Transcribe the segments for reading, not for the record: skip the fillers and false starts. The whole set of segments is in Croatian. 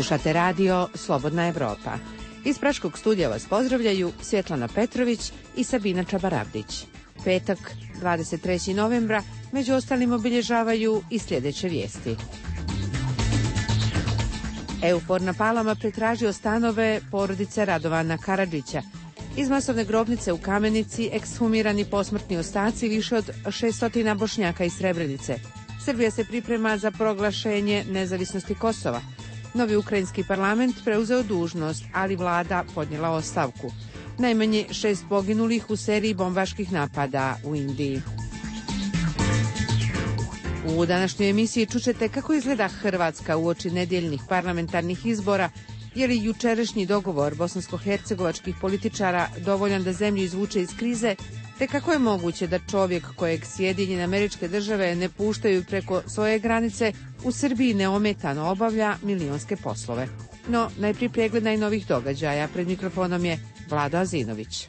Slušate radio Slobodna Evropa. Iz Praškog studija vas pozdravljaju Svjetlana Petrović i Sabina Čabarabdić. Petak, 23. novembra, među ostalim obilježavaju i sljedeće vijesti. EUFOR na Palama pretražio stanove porodice Radovana Karadžića. Iz masovne grobnice u Kamenici ekshumirani posmrtni ostaci više od 600 Bošnjaka iz Srebrenice. Srbija se priprema za proglašenje nezavisnosti Kosova. Novi ukrajinski parlament preuzeo dužnost, ali vlada podnijela ostavku. Najmanje 6 poginulih u seriji bombaških napada u Indiji. U današnjoj emisiji čućete kako izgleda Hrvatska uoči nedjeljnih parlamentarnih izbora, je li jučerašnji dogovor bosansko-hercegovačkih političara dovoljan da zemlju izvuče iz krize, te kako je moguće da čovjek kojeg Sjedinjene Američke Države ne puštaju preko svoje granice u Srbiji neometano obavlja milionske poslove. No, najprije pregled najnovih događaja. Pred mikrofonom je Vlado Azinović.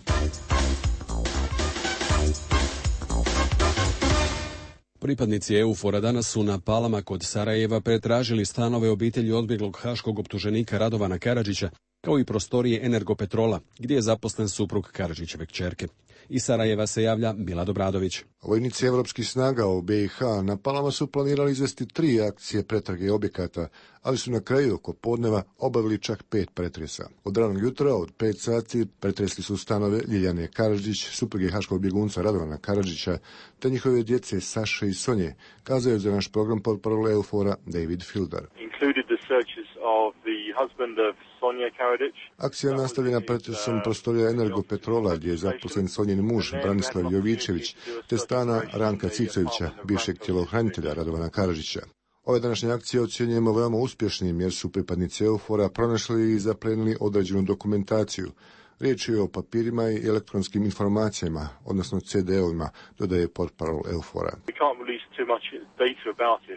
Pripadnici EUFOR-a danas su na Palama kod Sarajeva pretražili stanove obitelji odbjeglog haškog optuženika Radovana Karadžića, kao i prostorije Energopetrola, gdje je zaposlen suprug Karadžićeve kćerke. Iz Sarajeva se javlja Milad Obradović. Vojnici evropskih snaga u BiH na Palama su planirali izvesti 3 akcije pretrage objekata, ali su na kraju oko podneva obavili čak 5 pretresa. Od ranog jutra, od 5 sati, pretresli su stanove Ljiljane Karadžić, supruge haškog bjegunca Radovana Karadžića, te njihove djece Saše i Sonje, kazao je za naš program portparol EUFOR-a David Fildar. Akcija je nastavljena pretresom prostorija Energopetrola, gdje je zaposlen Sonjin muž Branislav Jovičević, te stana Ranka Cicovića, bivšeg tjelohranitelja Radovana Karadžića. Ove današnje akcije ocjenjujemo veoma uspješnim jer su pripadnici EUFOR-a pronašli i zaplenili određenu dokumentaciju. Riječ je o papirima i elektronskim informacijama, odnosno CD-ovima, dodaje portparol EUFOR-a.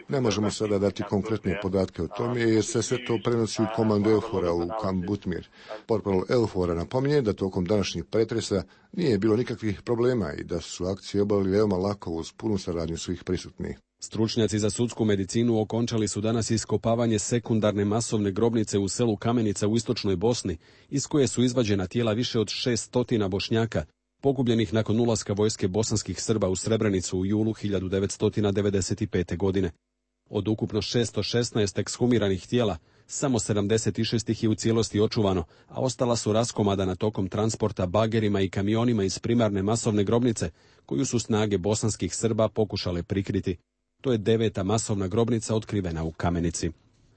Ne možemo sada dati konkretne podatke o tome jer se sve to prenosi u komandu EUFOR-a u Kamp Butmir. Portparol EUFOR-a napominje da tokom današnjih pretresa nije bilo nikakvih problema i da su akcije obavili veoma lako uz punu saradnju svih prisutnih. Stručnjaci za sudsku medicinu okončali su danas iskopavanje sekundarne masovne grobnice u selu Kamenica u istočnoj Bosni, iz koje su izvađena tijela više od 600 Bošnjaka, pogubljenih nakon ulaska vojske bosanskih Srba u Srebrenicu u julu 1995. godine. Od ukupno 616 ekshumiranih tijela, samo 76 ih je u cijelosti očuvano, a ostala su raskomadana tokom transporta bagerima i kamionima iz primarne masovne grobnice, koju su snage bosanskih Srba pokušale prikriti. To je 9. masovna grobnica otkrivena u Kamenici.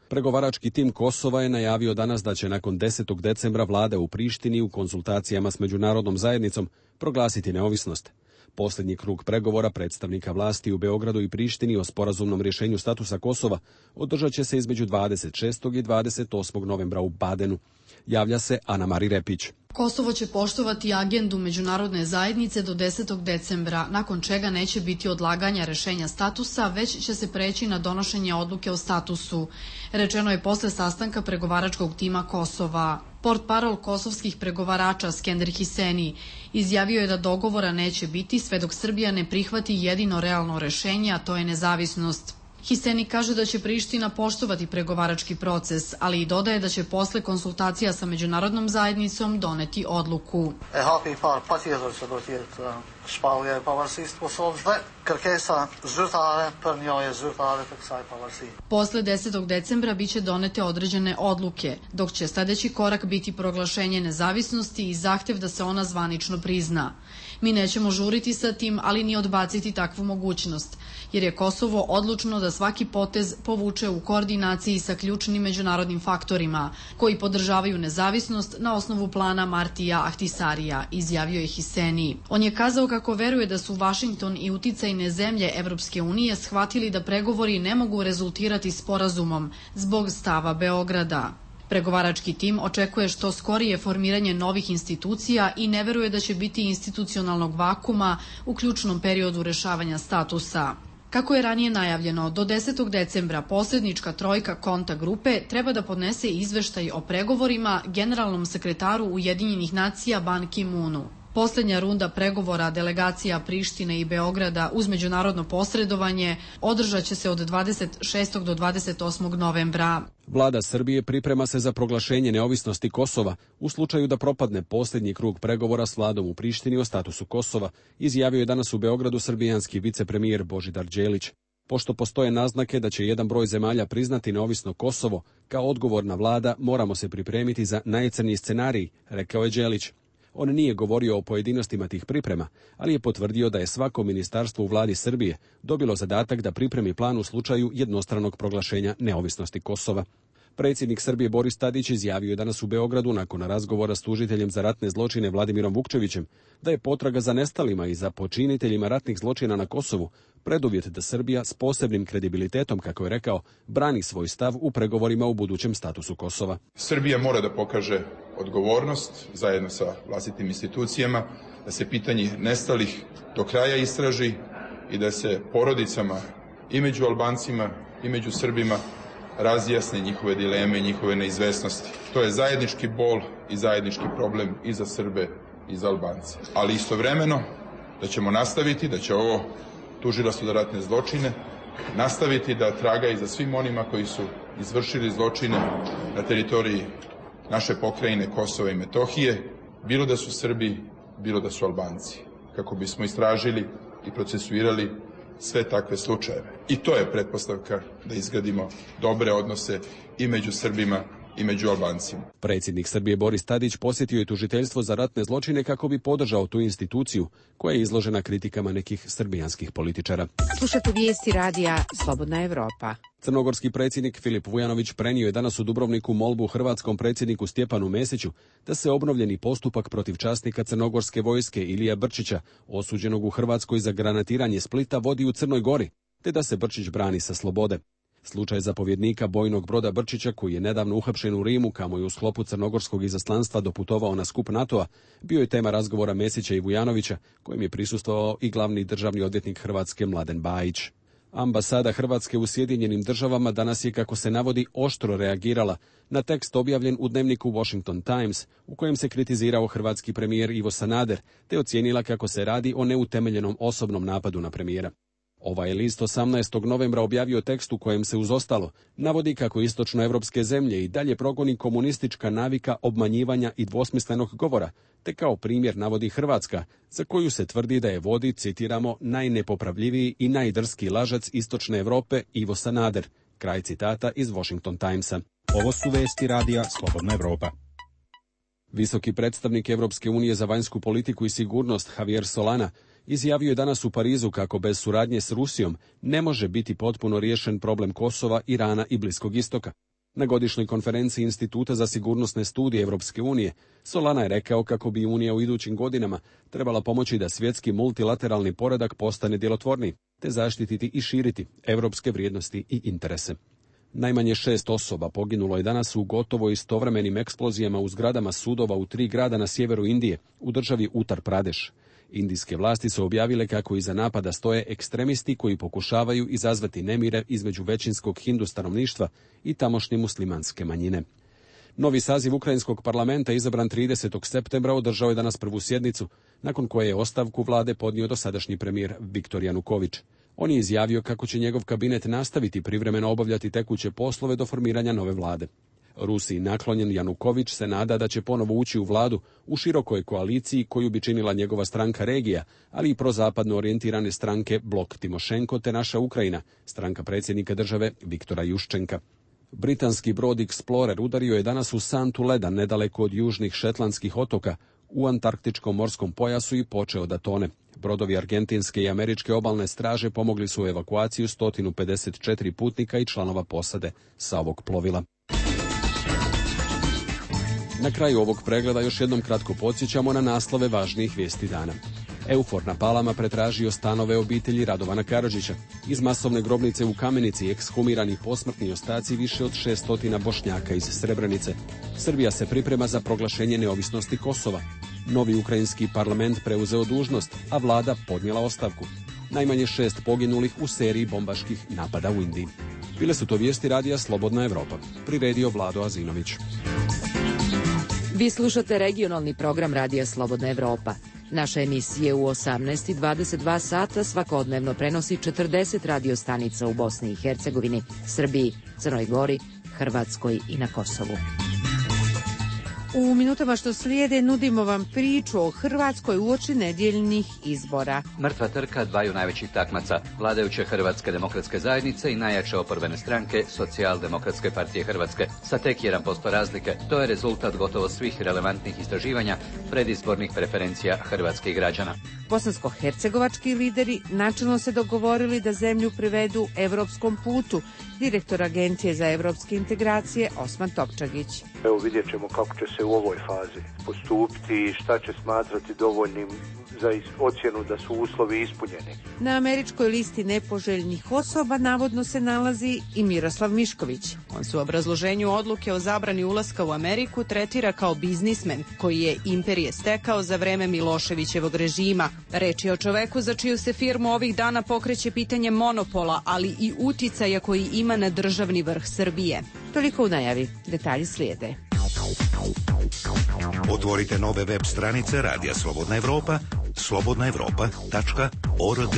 Pregovarački tim Kosova je najavio danas da će nakon 10. decembra vlada u Prištini u konzultacijama s međunarodnom zajednicom proglasiti neovisnost. Posljednji krug pregovora predstavnika vlasti u Beogradu i Prištini o sporazumnom rješenju statusa Kosova održat će se između 26. i 28. novembra u Badenu. Javlja se Ana Mari Repić. Kosovo će poštovati agendu međunarodne zajednice do 10. decembra, nakon čega neće biti odlaganja rješenja statusa, već će se preći na donošenje odluke o statusu. Rečeno je posle sastanka pregovaračkog tima Kosova. Portparol kosovskih pregovarača Skender Hiseni izjavio je da dogovora neće biti sve dok Srbija ne prihvati jedino realno rješenje, a to je nezavisnost. Hiseni kaže da će Priština poštovati pregovarački proces, ali i dodaje da će posle konsultacija sa međunarodnom zajednicom doneti odluku. Posle 10. decembra biće donete određene odluke, dok će sljedeći korak biti proglašenje nezavisnosti i zahtjev da se ona zvanično prizna. Mi nećemo žuriti sa tim, ali ni odbaciti takvu mogućnost, jer je Kosovo odlučno da svaki potez povuče u koordinaciji sa ključnim međunarodnim faktorima, koji podržavaju nezavisnost na osnovu plana Martija Ahtisarija, izjavio je Hiseni. On je kazao kako veruje da su Vašington i uticajne zemlje Evropske unije shvatili da pregovori ne mogu rezultirati sporazumom zbog stava Beograda. Pregovarački tim očekuje što skorije formiranje novih institucija i ne veruje da će biti institucionalnog vakuma u ključnom periodu rješavanja statusa. Kako je ranije najavljeno, do 10. decembra posljednička trojka konta grupe treba da podnese izveštaj o pregovorima generalnom sekretaru Ujedinjenih nacija Ban Ki-moonu. Posljednja runda pregovora delegacija Prištine i Beograda uz međunarodno posredovanje održat će se od 26. do 28. novembra. Vlada Srbije priprema se za proglašenje neovisnosti Kosova u slučaju da propadne posljednji krug pregovora s vladom u Prištini o statusu Kosova, izjavio je danas u Beogradu srbijanski vicepremijer Božidar Đelić. Pošto postoje naznake da će jedan broj zemalja priznati neovisno Kosovo, kao odgovorna vlada moramo se pripremiti za najcrniji scenarij, rekao je Đelić. On nije govorio o pojedinostima tih priprema, ali je potvrdio da je svako ministarstvo u vladi Srbije dobilo zadatak da pripremi plan u slučaju jednostranog proglašenja neovisnosti Kosova. Predsjednik Srbije Boris Tadić izjavio je danas u Beogradu nakon razgovora s tužiteljem za ratne zločine Vladimirom Vukčevićem da je potraga za nestalima i za počiniteljima ratnih zločina na Kosovu preduvjet da Srbija s posebnim kredibilitetom, kako je rekao, brani svoj stav u pregovorima u budućem statusu Kosova. Srbija mora da pokaže odgovornost zajedno sa vlastitim institucijama, da se pitanje nestalih do kraja istraži i da se porodicama i među Albancima i među Srbima razjasne njihove dileme i njihove neizvesnosti. To je zajednički bol i zajednički problem i za Srbe i za Albance. Ali istovremeno da ćemo nastaviti, da će ovo tužilaštvo za ratne zločine nastaviti da traga i za svim onima koji su izvršili zločine na teritoriji naše pokrajine Kosova i Metohije, bilo da su Srbi, bilo da su Albanci, kako bismo istražili i procesuirali sve takve slučajeve. I to je pretpostavka da izgradimo dobre odnose i među Srbima i među Albancima. Predsjednik Srbije Boris Tadić posjetio je tužiteljstvo za ratne zločine kako bi podržao tu instituciju koja je izložena kritikama nekih srbijanskih političara. Slušate vijesti radija Slobodna Evropa. Crnogorski predsjednik Filip Vujanović prenio je danas u Dubrovniku molbu hrvatskom predsjedniku Stjepanu Mesiću da se obnovljeni postupak protiv časnika crnogorske vojske Ilija Brčića, osuđenog u Hrvatskoj za granatiranje Splita, vodi u Crnoj Gori, te da se Brčić brani sa slobode. Slučaj zapovjednika bojnog broda Brčića, koji je nedavno uhapšen u Rimu, kamo je u sklopu crnogorskog izaslanstva doputovao na skup NATO-a, bio je tema razgovora Mesića i Vujanovića, kojem je prisustvovao i glavni državni odvjetnik Hrvatske Mladen Bajić. Ambasada Hrvatske u Sjedinjenim Državama danas je, kako se navodi, oštro reagirala na tekst objavljen u dnevniku Washington Times, u kojem se kritizirao hrvatski premijer Ivo Sanader, te ocijenila kako se radi o neutemeljenom osobnom napadu na premijera. Ovaj list 18. novembra objavio tekst u kojem se uz ostalo navodi kako istočnoevropske zemlje i dalje progoni komunistička navika obmanjivanja i dvosmislenog govora, te kao primjer navodi Hrvatska, za koju se tvrdi da je vodi, citiramo, najnepopravljiviji i najdrski lažac istočne Europe Ivo Sanader. Kraj citata iz Washington Timesa. Ovo su vesti radija Slobodna Evropa. Visoki predstavnik Evropske unije za vanjsku politiku i sigurnost Javier Solana izjavio je danas u Parizu kako bez suradnje s Rusijom ne može biti potpuno riješen problem Kosova, Irana i Bliskog istoka. Na godišnjoj konferenciji Instituta za sigurnosne studije Evropske unije, Solana je rekao kako bi Unija u idućim godinama trebala pomoći da svjetski multilateralni poredak postane djelotvorniji, te zaštititi i širiti evropske vrijednosti i interese. Najmanje 6 osoba poginulo je danas u gotovo istovremenim eksplozijama u zgradama sudova u 3 grada na sjeveru Indije, u državi Uttar Pradesh. Indijske vlasti su objavile kako iza napada stoje ekstremisti koji pokušavaju izazvati nemire između većinskog hindu stanovništva i tamošnje muslimanske manjine. Novi saziv ukrajinskog parlamenta, izabran 30. septembra, održao je danas prvu sjednicu, nakon koje je ostavku vlade podnio dosadašnji premijer Viktor Januković. On je izjavio kako će njegov kabinet nastaviti privremeno obavljati tekuće poslove do formiranja nove vlade. Rusiji naklonjen Januković se nada da će ponovo ući u vladu u širokoj koaliciji koju bi činila njegova stranka Regija, ali i prozapadno orijentirane stranke Blok Timošenko te Naša Ukrajina, stranka predsjednika države Viktora Juščenka. Britanski brod Explorer udario je danas u santu leda nedaleko od južnih Šetlandskih otoka u antarktičkom morskom pojasu i počeo da tone. Brodovi argentinske i američke obalne straže pomogli su u evakuaciju 154 putnika i članova posade sa ovog plovila. Na kraju ovog pregleda još jednom kratko podsjećamo na naslove važnijih vijesti dana. Eufor na Palama pretražio stanove obitelji Radovana Karadžića. Iz masovne grobnice u Kamenici ekshumirani posmrtni ostaci više od 600 Bošnjaka iz Srebrenice. Srbija se priprema za proglašenje neovisnosti Kosova. Novi ukrajinski parlament preuzeo dužnost, a vlada podnijela ostavku. Najmanje 6 poginulih u seriji bombaških napada u Indiji. Bile su to vijesti radija Slobodna Evropa. Priredio Vlado Azinović. Vi slušate regionalni program radija Slobodna Evropa. Naše emisije u 18:22 sata svakodnevno prenosi 40 radiostanica u Bosni i Hercegovini, Srbiji, Crnoj Gori, Hrvatskoj i na Kosovu. U minutama što slijede nudimo vam priču o Hrvatskoj uoči nedjeljnih izbora. Mrtva trka dvaju najvećih takmaca, vladajuće Hrvatske demokratske zajednice i najjače oporbene stranke Socijaldemokratske partije Hrvatske, sa tek 1% razlike. To je rezultat gotovo svih relevantnih istraživanja predizbornih preferencija hrvatskih građana. Bosansko-hercegovački lideri načelno se dogovorili da zemlju privedu evropskom putu. Direktor Agencije za evropske integracije Osman Topčagić. Evo vidjet ćemo kako će se u ovoj fazi postupiti i šta će smatrati dovoljnim za ocjenu da su uslovi ispunjeni. Na američkoj listi nepoželjnih osoba navodno se nalazi i Miroslav Mišković. On se u obrazloženju odluke o zabrani ulaska u Ameriku tretira kao biznismen koji je imperije stekao za vreme Miloševićevog režima. Reč je o čoveku za čiju se firmu ovih dana pokreće pitanje monopola, ali i uticaja koji ima na državni vrh Srbije. Toliko u najavi. Detalji slijede. Otvorite nove web stranice Radija Slobodna Evropa, slobodnaevropa.org.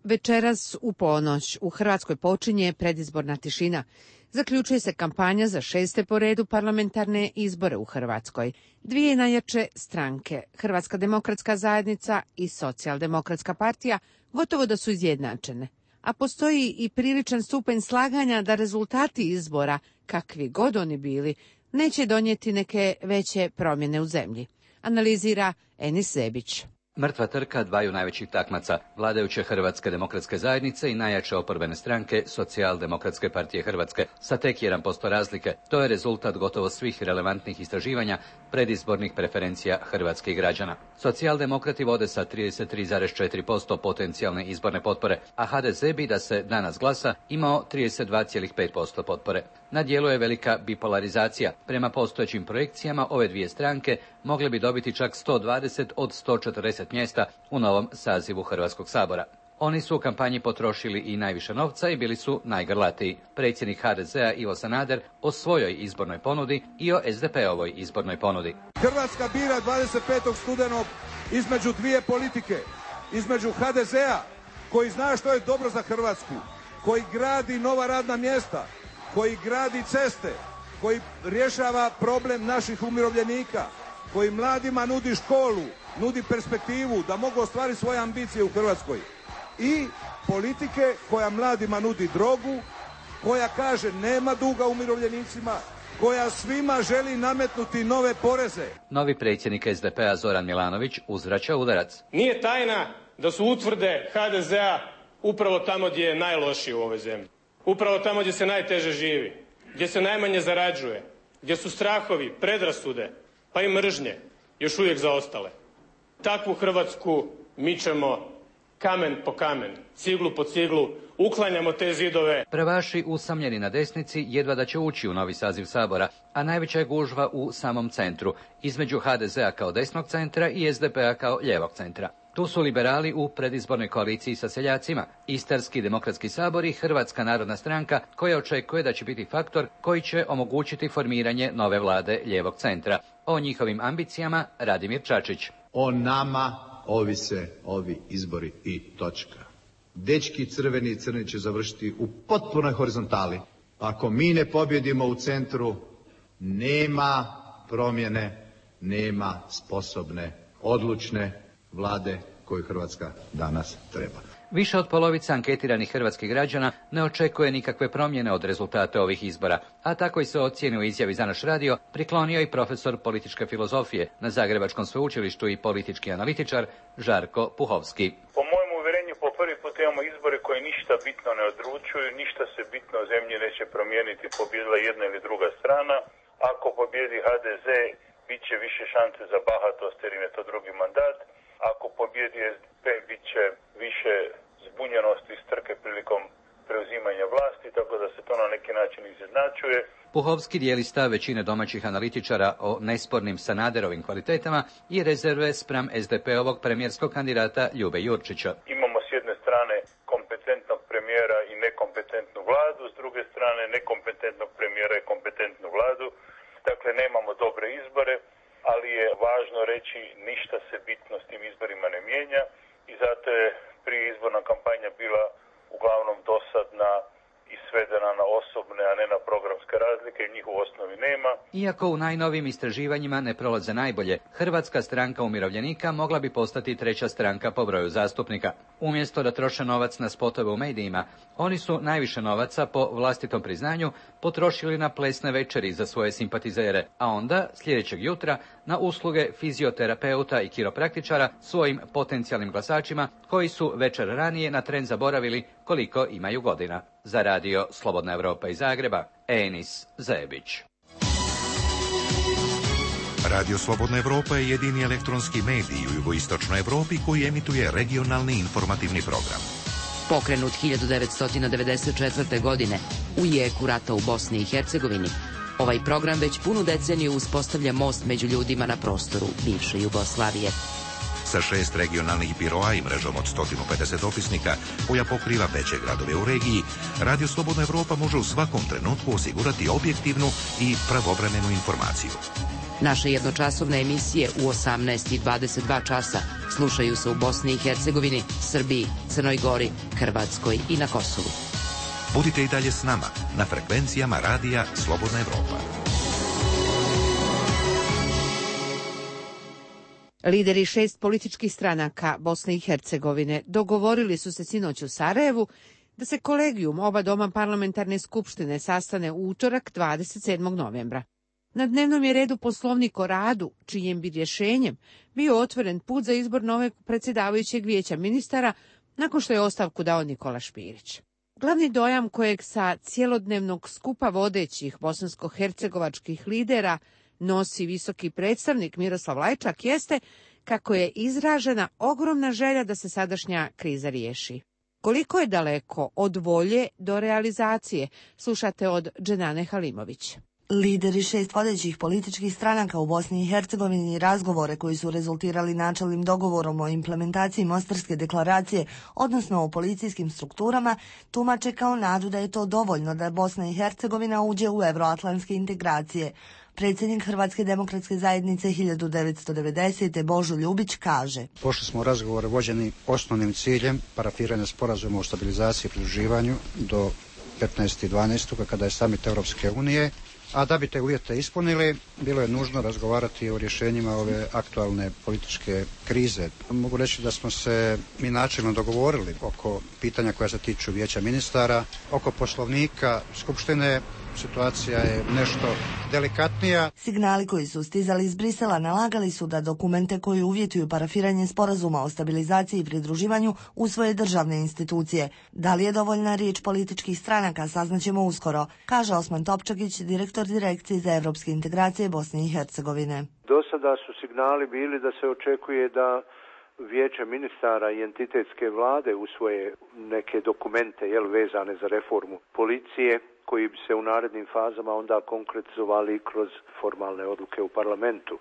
Večeras u ponoć u Hrvatskoj počinje predizborna tišina. Zaključuje se kampanja za 6. po redu parlamentarne izbore u Hrvatskoj. Dvije najjače stranke, Hrvatska demokratska zajednica i Socijaldemokratska partija, gotovo da su izjednačene. A postoji i priličan stupanj slaganja da rezultati izbora, kakvi god oni bili, neće donijeti neke veće promjene u zemlji. Analizira Enis Zebić. Mrtva trka dvaju najvećih takmaca, vladajuće Hrvatske demokratske zajednice i najjače oporbene stranke Socijaldemokratske partije Hrvatske, sa tek 1% razlike. To je rezultat gotovo svih relevantnih istraživanja predizbornih preferencija hrvatskih građana. Socijaldemokrati vode sa 33,4% potencijalne izborne potpore, a HDZ bi da se danas glasa imao 32,5% potpore. Na dijelu je velika bipolarizacija. Prema postojećim projekcijama ove dvije stranke mogle bi dobiti čak 120 od 140 mjesta u novom sazivu Hrvatskog sabora. Oni su u kampanji potrošili i najviše novca i bili su najgrlatiji. Predsjednik HDZ-a Ivo Sanader o svojoj izbornoj ponudi i o SDP-ovoj izbornoj ponudi. Hrvatska bira 25. studenog između dvije politike. Između HDZ-a koji zna što je dobro za Hrvatsku, koji gradi nova radna mjesta, koji gradi ceste, koji rješava problem naših umirovljenika, koji mladima nudi školu, nudi perspektivu da mogu ostvariti svoje ambicije u Hrvatskoj. I politike koja mladima nudi drogu, koja kaže nema duga umirovljenicima, koja svima želi nametnuti nove poreze. Novi predsjednik SDP-a Zoran Milanović uzvraća udarac. Nije tajna da su utvrde HDZ-a upravo tamo gdje je najlošije u ovoj zemlji. Upravo tamo gdje se najteže živi, gdje se najmanje zarađuje, gdje su strahovi, predrasude, pa i mržnje još uvijek zaostale. Takvu Hrvatsku mičemo kamen po kamen, ciglu po ciglu, uklanjamo te zidove. Prvaši usamljeni na desnici jedva da će ući u novi saziv Sabora, a najveća je gužva u samom centru, između HDZ-a kao desnog centra i SDP-a kao lijevog centra. Tu su liberali u predizbornoj koaliciji sa seljacima, Istarski demokratski sabor i Hrvatska narodna stranka koja očekuje da će biti faktor koji će omogućiti formiranje nove vlade lijevog centra. O njihovim ambicijama Radimir Čačić. O nama ovise ovi izbori i točka. Dečki crveni i crni će završiti u potpunoj horizontali. Ako mi ne pobjedimo u centru, nema promjene, nema sposobne, odlučne vlade koju Hrvatska danas treba. Više od polovice anketiranih hrvatskih građana ne očekuje nikakve promjene od rezultata ovih izbora, a tako i se ocjeni u izjavi za naš radio priklonio i profesor političke filozofije na Zagrebačkom sveučilištu i politički analitičar Žarko Puhovski. Po mojem uvjerenju po prvi put imamo izbore koji ništa bitno ne odlučuju, ništa se bitno u zemlji neće promijeniti, pobjedila jedna ili druga strana. Ako pobjedi HDZ, bit će više šanse za bahatost jer im je to drugi mandat. Ako pobjedi SDP, bit će više zbunjenosti i strke prilikom preuzimanja vlasti, tako da se to na neki način izjednačuje. Puhovski dijeli stav većine domaćih analitičara o nespornim Sanaderovim kvalitetama i rezerve spram SDP-ovog premijerskog kandidata Ljube Jurčića. Imamo s jedne strane kompetentnog premijera i nekompetentnu vladu, s druge strane nekompetentnog premijera i kompetentnu vladu. Dakle, Dakle, nemamo dobre izbore, ali je važno reći ništa se bitno s tim izborima ne mijenja i zato je prije izborna kampanja bila uglavnom dosadna i svedena na osobne, a ne na programske razlike, njih u osnovi nema. Iako u najnovijim istraživanjima ne prolaze najbolje, Hrvatska stranka umirovljenika mogla bi postati treća stranka po broju zastupnika. Umjesto da troše novac na spotove u medijima, oni su najviše novaca, po vlastitom priznanju, potrošili na plesne večeri za svoje simpatizere, a onda, sljedećeg jutra, na usluge fizioterapeuta i kiropraktičara svojim potencijalnim glasačima, koji su večer ranije na tren zaboravili koliko imaju godina. Za radio Slobodna Evropa iz Zagreba, Enis Zebić. Radio Slobodna Evropa je jedini elektronski medij u jugoistočnoj Evropi koji emituje regionalni informativni program. Pokrenut 1994. godine u jeku rata u Bosni i Hercegovini, ovaj program već punu deceniju uspostavlja most među ljudima na prostoru bivše Jugoslavije. Sa 6 regionalnih biroa i mrežom od 150 dopisnika koja pokriva veće gradove u regiji, Radio Slobodna Evropa može u svakom trenutku osigurati objektivnu i pravovremenu informaciju. Naše jednočasovne emisije u 18 i 22 časa slušaju se u Bosni i Hercegovini, Srbiji, Crnoj Gori, Hrvatskoj i na Kosovu. Budite i dalje s nama na frekvencijama Radija Slobodna Evropa. Lideri 6 političkih stranaka Bosne i Hercegovine dogovorili su se sinoć u Sarajevu da se kolegijum oba doma parlamentarne skupštine sastane u utorak 27. novembra. Na dnevnom je redu Poslovnik o radu, čijim bi rješenjem bio otvoren put za izbor novog predsjedavajućeg vijeća ministara nakon što je ostavku dao Nikola Špirić. Glavni dojam kojeg sa cjelodnevnog skupa vodećih bosansko-hercegovačkih lidera nosi visoki predstavnik Miroslav Lajčak jeste kako je izražena ogromna želja da se sadašnja kriza riješi. Koliko je daleko od volje do realizacije, slušate od Dženane Halimović. Lideri 6 vodećih političkih stranaka u Bosni i Hercegovini razgovore koji su rezultirali načelnim dogovorom o implementaciji Mostarske deklaracije, odnosno o policijskim strukturama, tumače kao nadu da je to dovoljno da Bosna i Hercegovina uđe u euroatlantske integracije. Predsjednik Hrvatske demokratske zajednice 1990. Božo Ljubić kaže: Pošli smo u razgovore vođeni osnovnim ciljem parafiranja sporazuma o stabilizaciji i pridruživanju do 15.12. kada je samit Europske unije, a da bi te uvjete ispunili, bilo je nužno razgovarati o rješenjima ove aktualne političke krize. Mogu reći da smo se mi načelno dogovorili oko pitanja koja se tiču vijeća ministara, oko poslovnika Skupštine. Situacija je nešto delikatnija. Signali koji su stizali iz Brisela nalagali su da dokumente koji uvjetuju parafiranje sporazuma o stabilizaciji i pridruživanju usvoje državne institucije. Da li je dovoljna riječ političkih stranaka, saznaćemo uskoro, kaže Osman Topčagić, direktor Direkcije za evropske integracije Bosne i Hercegovine. Do sada su signali bili da se očekuje da Vijeće ministara i entitetske vlade usvoje neke dokumente vezane za reformu policije, koji bi se u narednim fazama onda konkretizovali kroz formalne odluke u parlamentu.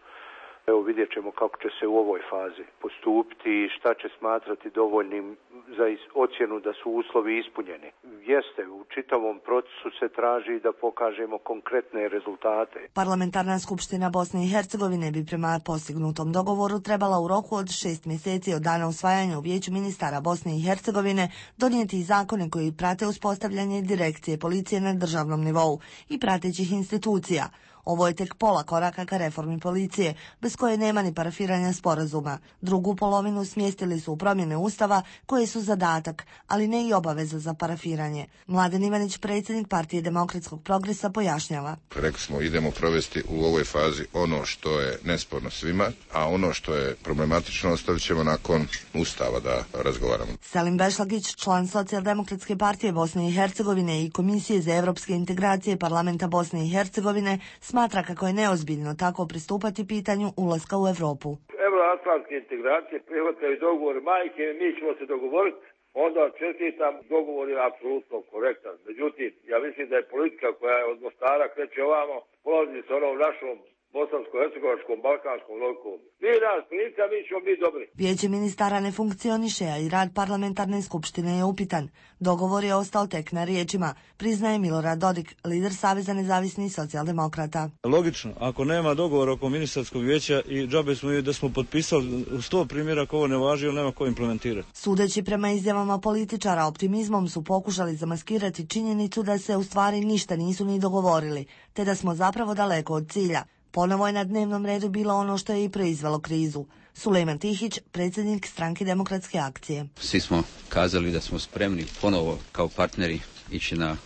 Evo, vidjet ćemo kako će se u ovoj fazi postupiti i šta će smatrati dovoljnim za ocjenu da su uslovi ispunjeni. Jeste, u čitavom procesu se traži da pokažemo konkretne rezultate. Parlamentarna skupština Bosne i Hercegovine bi prema postignutom dogovoru trebala u roku od 6 mjeseci od dana usvajanja u Vijeću ministara Bosne i Hercegovine donijeti zakone koji prate uspostavljanje direkcije policije na državnom nivou i pratećih institucija. Ovo je tek pola koraka ka reformi policije, bez koje nema ni parafiranja sporazuma. Drugu polovinu smjestili su u promjene Ustava, koje su zadatak, ali ne i obaveza za parafiranje. Mladen Ivanić, predsjednik Partije demokratskog progresa, pojašnjava. Rekli smo, idemo provesti u ovoj fazi ono što je nesporno svima, a ono što je problematično ostavit ćemo nakon Ustava da razgovaramo. Selim Bešlagić, član Socijaldemokratske partije Bosne i Hercegovine i Komisije za evropske integracije Parlamenta Bosne i Hercegovine, smatra kako je neozbiljno tako pristupati pitanju ulaska u Evropu. Euroatlantske integracije prihvataju dogovor majke, mi ćemo se dogovoriti, onda čestitam, dogovor je apsolutno korektan. Međutim, ja mislim da je politika koja je od Mostara kreće ovamo, polazi s onom našom bosansko-hercegovačkom, balkanskom lokom. Mi nas prica, mi ćemo biti dobri. Vijeće ministara ne funkcioniše, a i rad parlamentarne skupštine je upitan. Dogovor je ostao tek na riječima, priznaje Milorad Dodik, lider Saveza nezavisnih socijaldemokrata. Logično, ako nema dogovora oko ministarskog vijeća i džabe smo da smo potpisali u 100 primjeraka, ovo ne važi, ili nema ko implementirati. Sudeći prema izjavama političara, optimizmom su pokušali zamaskirati činjenicu da se u stvari ništa nisu ni dogovorili, te da smo zapravo daleko od cilja. Ponovo je na dnevnom redu bilo ono što je i proizvelo krizu. Sulejman Tihić, predsjednik Stranke demokratske akcije. Svi smo kazali da smo spremni ponovo kao partneri ići na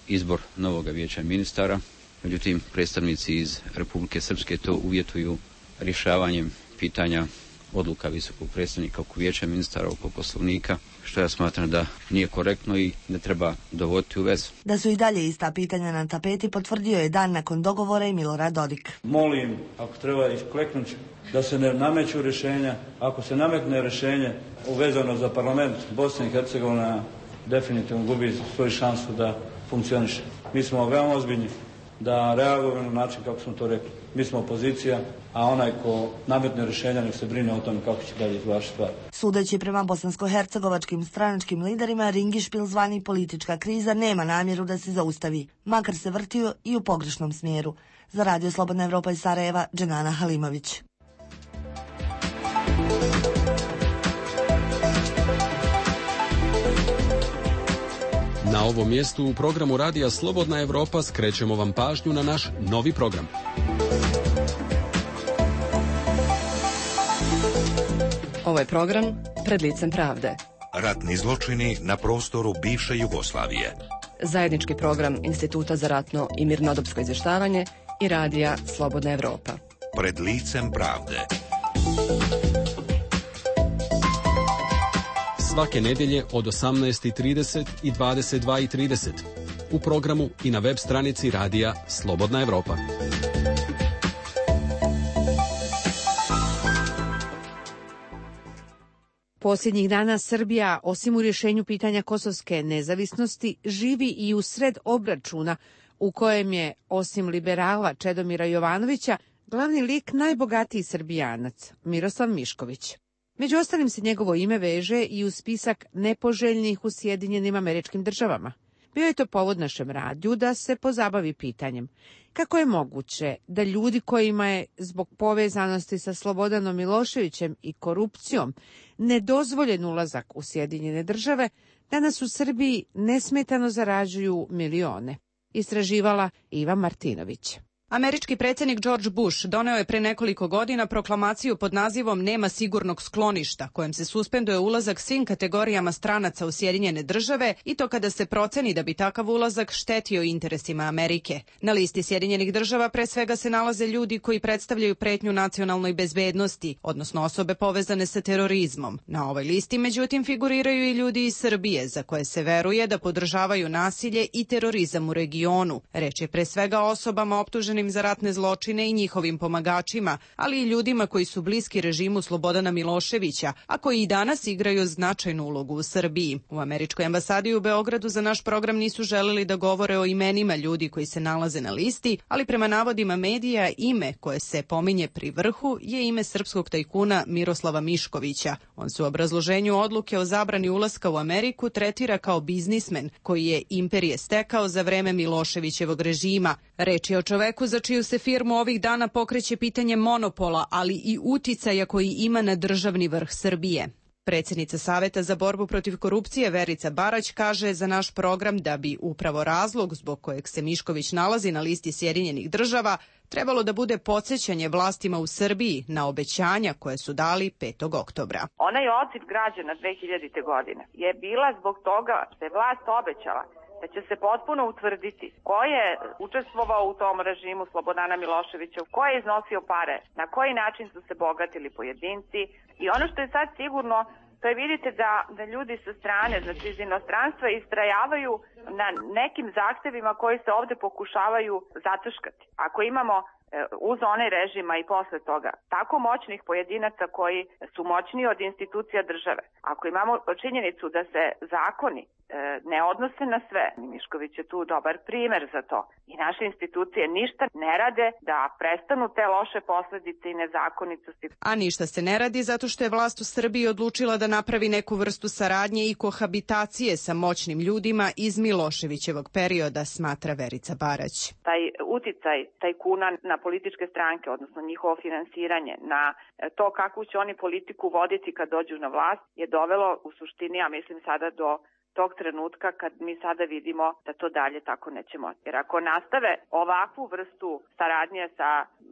izbor novog vijeća ministara. Međutim, predstavnici iz Republike Srpske to uvjetuju rješavanjem pitanja odluka visokog predstavnika oko vijeća ministara, oko poslovnika, što ja smatram da nije korektno i ne treba dovoditi u vezu. Da su i dalje ista pitanja na tapeti potvrdio je dan nakon dogovora i Milorad Dodik. Molim, ako treba iskleknuti, da se ne nameću rješenja. Ako se nametne rješenje uvezano za parlament, Bosna i Hercegovina definitivno gubi svoju šansu da funkcioniše. Mi smo veoma ozbiljni da reagujemo na način kako smo to rekli. Mi smo opozicija, a onaj ko nametne rješenja nek se brine o tome kako će dalje izvršiti stvar. Sudeći prema bosansko-hercegovačkim stranačkim liderima, ringišpil zvani politička kriza nema namjeru da se zaustavi, makar se vrtio i u pogrešnom smjeru. Za Radio Slobodna Evropa iz Sarajeva, Dženana Halimović. Na ovom mjestu u programu Radija Slobodna Evropa skrećemo vam pažnju na naš novi program. Ovo je program Pred licem pravde. Ratni zločini na prostoru bivše Jugoslavije. Zajednički program Instituta za ratno i mirnodopsko izvještavanje i Radija Slobodna Evropa. Pred licem pravde. Svake nedjelje od 18:30 i 22:30 u programu i na web stranici Radija Slobodna Evropa. Posljednjih dana Srbija, osim u rješenju pitanja kosovske nezavisnosti, živi i u sred obračuna u kojem je, osim liberala Čedomira Jovanovića, glavni lik najbogatiji Srbijanac, Miroslav Mišković. Među ostalim se njegovo ime veže i u spisak nepoželjnih u Sjedinjenim Američkim Državama. Bio je to povod našem radiju da se pozabavi pitanjem kako je moguće da ljudi kojima je zbog povezanosti sa Slobodanom Miloševićem i korupcijom nedozvoljen ulazak u Sjedinjene Države, danas u Srbiji nesmetano zarađuju milione. Istraživala Iva Martinović. Američki predsjednik George Bush doneo je pre nekoliko godina proklamaciju pod nazivom Nema sigurnog skloništa, kojem se suspenduje ulazak svim kategorijama stranaca u Sjedinjene Države i to kada se proceni da bi takav ulazak štetio interesima Amerike. Na listi Sjedinjenih Država pre svega se nalaze ljudi koji predstavljaju pretnju nacionalnoj bezbednosti, odnosno osobe povezane sa terorizmom. Na ovoj listi, međutim, figuriraju i ljudi iz Srbije, za koje se veruje da podržavaju nasilje i terorizam u regionu. Reč je pre svega o osobama optuženim za ratne zločine i njihovim pomagačima, ali i ljudima koji su bliski režimu Slobodana Miloševića, a koji i danas igraju značajnu ulogu u Srbiji. U Američkoj ambasadi u Beogradu za naš program nisu želeli da govore o imenima ljudi koji se nalaze na listi, ali prema navodima medija ime koje se pominje pri vrhu je ime srpskog tajkuna Miroslava Miškovića. On se u obrazloženju odluke o zabrani ulaska u Ameriku tretira kao biznismen koji je imperije stekao za vreme Miloševićevog režima. Reč je o čoveku za čiju se firmu ovih dana pokreće pitanje monopola, ali i uticaja koji ima na državni vrh Srbije. Predsjednica Saveta za borbu protiv korupcije Verica Barać kaže za naš program da bi upravo razlog zbog kojeg se Mišković nalazi na listi Sjedinjenih Država trebalo da bude podsjećanje vlastima u Srbiji na obećanja koje su dali 5. oktobra. Onaj odziv građana 2000. godine je bila zbog toga što je vlast obećala da će se potpuno utvrditi ko je učestvovao u tom režimu Slobodana Miloševića, ko je iznosio pare, na koji način su se bogatili pojedinci. I ono što je sad sigurno, to je vidite da ljudi sa strane, znači iz inostranstva, istrajavaju na nekim zahtevima koji se ovde pokušavaju zataškati. Ako imamo uz onaj režima i posle toga tako moćnih pojedinaca koji su moćniji od institucija države, ako imamo činjenicu da se zakoni ne odnose na sve. Mišković je tu dobar primer za to. I naše institucije ništa ne rade da prestanu te loše posledice i nezakonitosti. A ništa se ne radi zato što je vlast u Srbiji odlučila da napravi neku vrstu saradnje i kohabitacije sa moćnim ljudima iz Miloševićevog perioda, smatra Verica Barać. Taj uticaj tajkuna na političke stranke, odnosno njihovo finansiranje, na to kakvu će oni politiku voditi kad dođu na vlast, je dovelo u suštini, ja mislim sada do tog trenutka kad mi sada vidimo da to dalje tako neće moći. Jer ako nastave ovakvu vrstu saradnje sa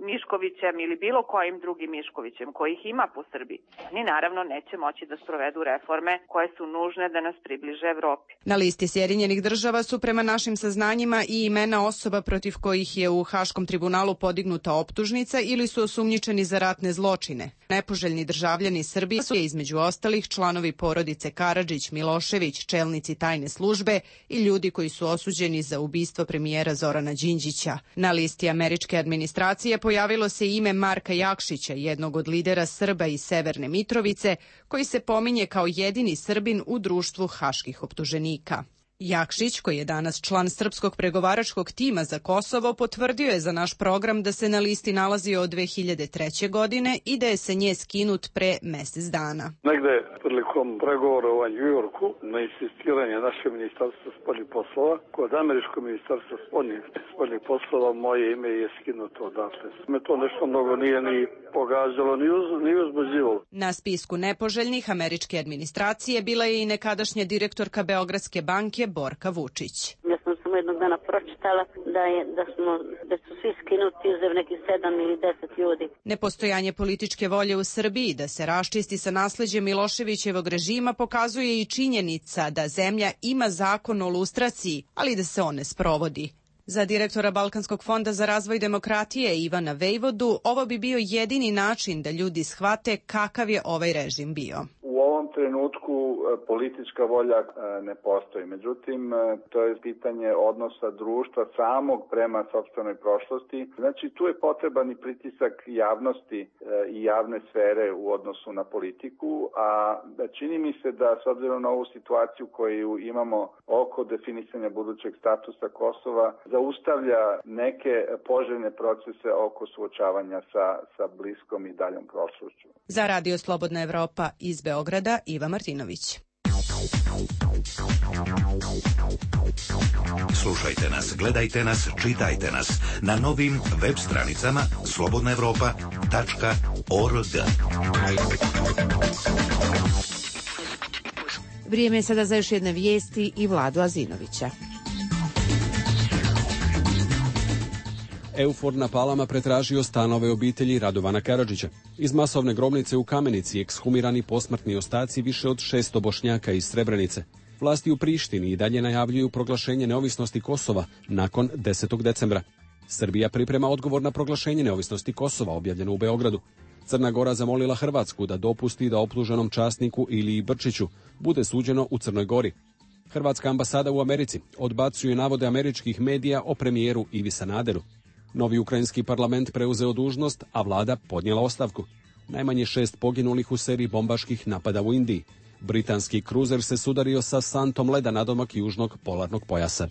Miškovićem ili bilo kojim drugim Miškovićem, kojih ima po Srbiji, oni naravno neće moći da sprovedu reforme koje su nužne da nas približe Evropi. Na listi Sjedinjenih država su prema našim saznanjima i imena osoba protiv kojih je u Haškom tribunalu podignuta optužnica ili su osumnjičeni za ratne zločine. Nepoželjni državljani Srbije su između ostalih članovi porodice Karadžić, Milošević, čelnici tajne službe i ljudi koji su osuđeni za ubistvo premijera Zorana Đinđića. Na listi američke administracije pojavilo se ime Marka Jakšića, jednog od lidera Srba iz Severne Mitrovice, koji se pominje kao jedini Srbin u društvu haških optuženika. Jakšić, koji je danas član srpskog pregovaračkog tima za Kosovo, potvrdio je za naš program da se na listi nalazio od 2003. godine i da je sa nje skinut pre mesec dana. Negde prilikom pregovora u Njujorku, na insistiranje naše ministarstva spoljnih poslova, kod američkog ministarstva spoljnih poslova moje ime je skinuto odatle. Me to nešto mnogo nije ni pogađalo, ni uzbuđivalo. Na spisku nepoželjnih američke administracije bila je i nekadašnja direktorka Beogradske banke Borka Vučić. Ja sam samo jednog dana pročitala da su svi skinuti uzev nekih 7 ili 10 ljudi. Nepostojanje političke volje u Srbiji da se raščisti sa nasleđem Miloševićevog režima pokazuje i činjenica da zemlja ima zakon o lustraciji, ali da se on ne sprovodi. Za direktora Balkanskog fonda za razvoj demokratije Ivana Vejvodu ovo bi bio jedini način da ljudi shvate kakav je ovaj režim bio. U ovom trenutku politička volja ne postoji. Međutim, to je pitanje odnosa društva samog prema sopstvenoj prošlosti. Znači, tu je potreban i pritisak javnosti i javne sfere u odnosu na politiku, a čini mi se da s obzirom na ovu situaciju koju imamo oko definisanja budućeg statusa Kosova, zaustavlja neke poželjne procese oko suočavanja sa bliskom i daljom prošlošću. Za Radio Slobodna Evropa iz Beograda, Iva Martinović. Slušajte nas, gledajte nas, čitajte nas na novim web stranicama slobodnaevropa.org. Vrijeme je sada za još jedne vijesti i Vladu Azinovića. EUFOR na Palama pretražio stanove obitelji Radovana Karadžića. Iz masovne grobnice u Kamenici ekshumirani posmrtni ostaci više od 600 Bošnjaka iz Srebrenice. Vlasti u Prištini i dalje najavljuju proglašenje neovisnosti Kosova nakon 10. decembra. Srbija priprema odgovor na proglašenje neovisnosti Kosova, objavljeno u Beogradu. Crna Gora zamolila Hrvatsku da dopusti da optuženom časniku Iliji Brčiću bude suđeno u Crnoj Gori. Hrvatska ambasada u Americi odbacuje navode američkih medija o premijeru Ivi Sanaderu. Novi ukrajinski parlament preuzeo dužnost, a vlada podnijela ostavku. Najmanje 6 poginulih u seriji bombaških napada u Indiji. Britanski kruzer se sudario sa santom leda nadomak južnog polarnog pojasa.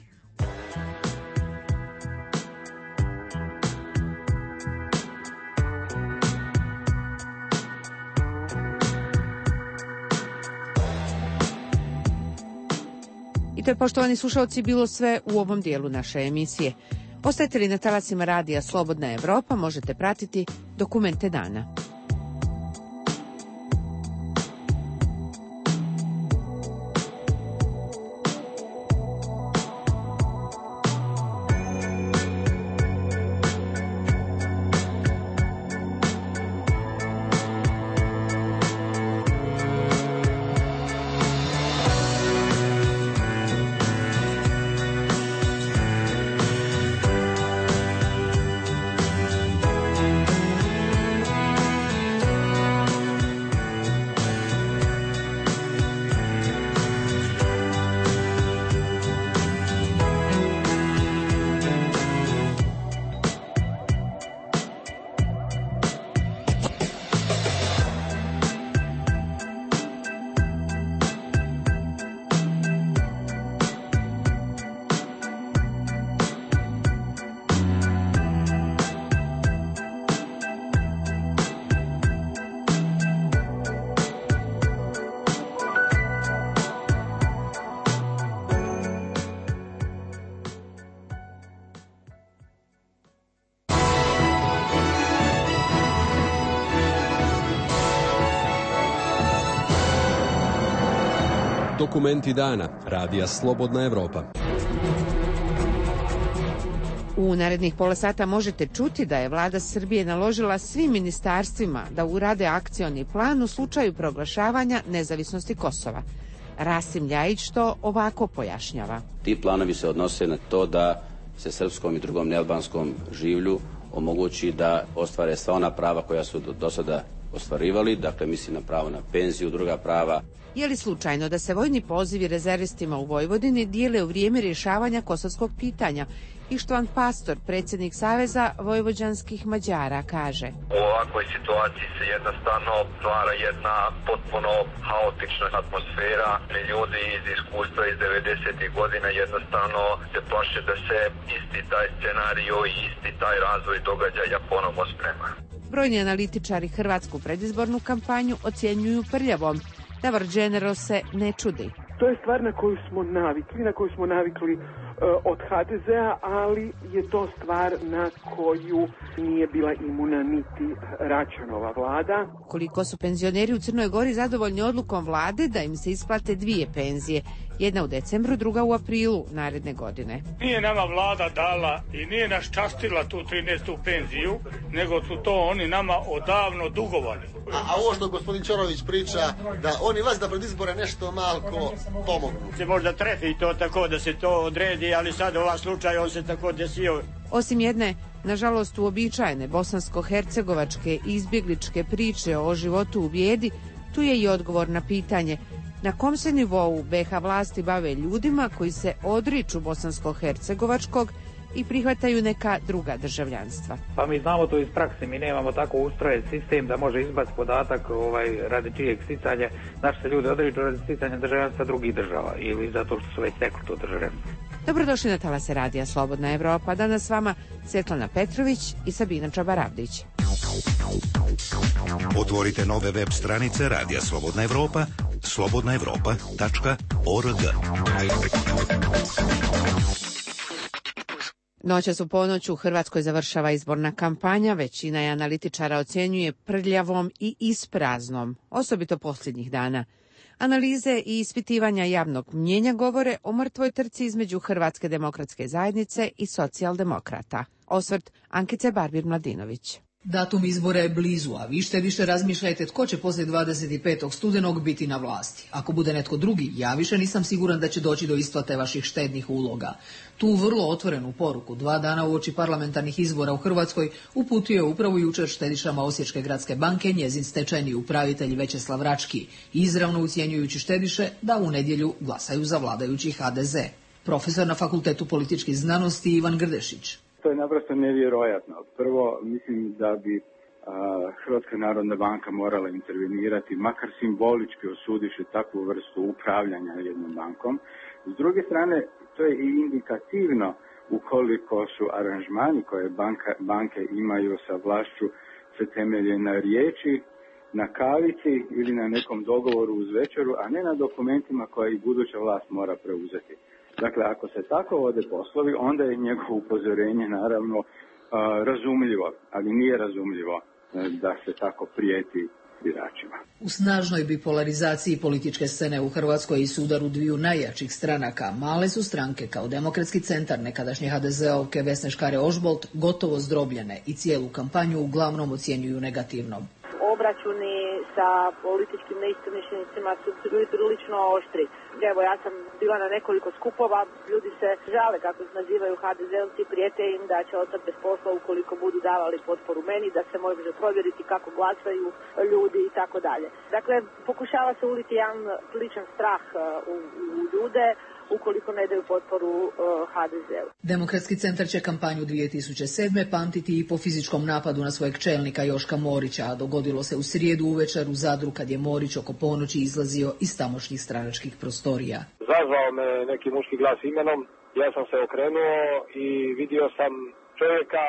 I to je, poštovani slušalci, bilo sve u ovom dijelu naše emisije. Ostajete li na talasima radija Slobodna Evropa, možete pratiti Dokumente dana. Dokumenti dana. Radija Slobodna Evropa. U narednih pola sata možete čuti da je vlada Srbije naložila svim ministarstvima da urade akcioni plan u slučaju proglašavanja nezavisnosti Kosova. Rasim Ljajić to ovako pojašnjava. Ti planovi se odnose na to da se srpskom i drugom nealbanskom življu omogući da ostvare sva ona prava koja su do sada ostvarivali, dakle mislim na pravo na penziju, druga prava. Je li slučajno da se vojni pozivi rezervistima u Vojvodini dijele u vrijeme rješavanja kosovskog pitanja? Ištvan Pastor, predsjednik Saveza vojvođanskih Mađara, kaže: U ovakvoj situaciji se jednostavno stvara jedna potpuno haotična atmosfera. Ljudi iz iskustva iz 90. godina jednostavno se plaše da se isti taj scenario i isti taj razvoj događaja ponovo sprema. Brojni analitičari hrvatsku predizbornu kampanju ocjenjuju prljavom. Davor General se ne čudi. To je stvar na koju smo navikli od HDZ-a, ali je to stvar na koju nije bila imuna niti Račanova vlada. Koliko su penzioneri u Crnoj Gori zadovoljni odlukom vlade da im se isplate 2 penzije, jedna u decembru, druga u aprilu naredne godine. Nije nama vlada dala i nije nas častila tu 13. penziju, nego su to oni nama odavno dugovali. A ovo što gospodin Ćorović priča, da oni vas da pred izbore nešto malko pomognu. Se možda trefi to tako da se to odredi, ali sad ovaj slučaj on se tako desio. Osim jedne, nažalost uobičajene bosansko-hercegovačke izbjegličke priče o životu u bijedi, tu je i odgovor na pitanje na kom se nivou BiH vlasti bave ljudima koji se odriču bosansko-hercegovačkog i prihvataju neka druga državljanstva. Pa mi znamo to iz prakse, mi nemamo tako ustrojen sistem da može izbaciti podatak radi čijeg sticanja. Naši se ljudi odriču radi sticanja državljanstva drugih država ili zato što su već stekli to državljanstvo. Dobrodošli na talase Radija Slobodna Evropa. Danas s vama Svetlana Petrović i Sabina Čabaravdić. Otvorite nove web stranice Radija Slobodna Evropa, slobodnaevropa.org. Noćas u ponoć u Hrvatskoj završava izborna kampanja, većina je analitičara ocjenjuje prljavom i ispraznom, osobito posljednjih dana. Analize i ispitivanja javnog mnjenja govore o mrtvoj trci između Hrvatske demokratske zajednice i socijaldemokrata. Osvrt Ankice Barbir-Mladinović. Datum izbora je blizu, a vi više razmišljajte tko će poslije 25. studenog biti na vlasti. Ako bude netko drugi, ja više nisam siguran da će doći do isplate vaših štednih uloga. Tu vrlo otvorenu poruku 2 dana uoči parlamentarnih izbora u Hrvatskoj uputio je upravo jučer štedišama Osječke gradske banke njezin stečajni upravitelj Večeslav Rački, izravno ucjenjujući štediše da u nedjelju glasaju za vladajući HDZ. Profesor na Fakultetu političkih znanosti Ivan Grdešić. To je naprosto nevjerojatno. Prvo, mislim da bi Hrvatska narodna banka morala intervenirati, makar simbolički osudivši takvu vrstu upravljanja jednom bankom. S druge strane, to je i indikativno ukoliko su aranžmani koje banke imaju sa vlašću se temelje na riječi, na kavici ili na nekom dogovoru uz večeru, a ne na dokumentima koje i buduća vlast mora preuzeti. Dakle, ako se tako vode poslovi, onda je njegovo upozorenje naravno razumljivo, ali nije razumljivo da se tako prijeti biračima. U snažnoj bipolarizaciji političke scene u Hrvatskoj i sudaru dviju najjačih stranaka, male su stranke kao Demokratski centar nekadašnje HDZ-ovke Vesne Škare-Ožbolt gotovo zdrobljene i cijelu kampanju uglavnom ocjenjuju negativno. Obračuni sa političkim neistomišljenicima su bili prilično oštri. Evo, ja sam bila na nekoliko skupova, ljudi se žale kako se nazivaju HDZ-ovci, prijete im da će ostati bez posla ukoliko budu davali potporu meni, da se može provjeriti kako glasaju ljudi i tako dalje. Dakle, pokušava se uliti jedan sličan strah u ljude ukoliko ne daju potporu HDZ-u. Demokratski centar će kampanju 2007. pamtiti i po fizičkom napadu na svojeg čelnika Joška Morića, a dogodilo se u srijedu uvečer u Zadru kad je Morić oko ponoći izlazio iz tamošnjih stranačkih prostorija. Zazvao me neki muški glas imenom, ja sam se okrenuo i vidio sam čovjeka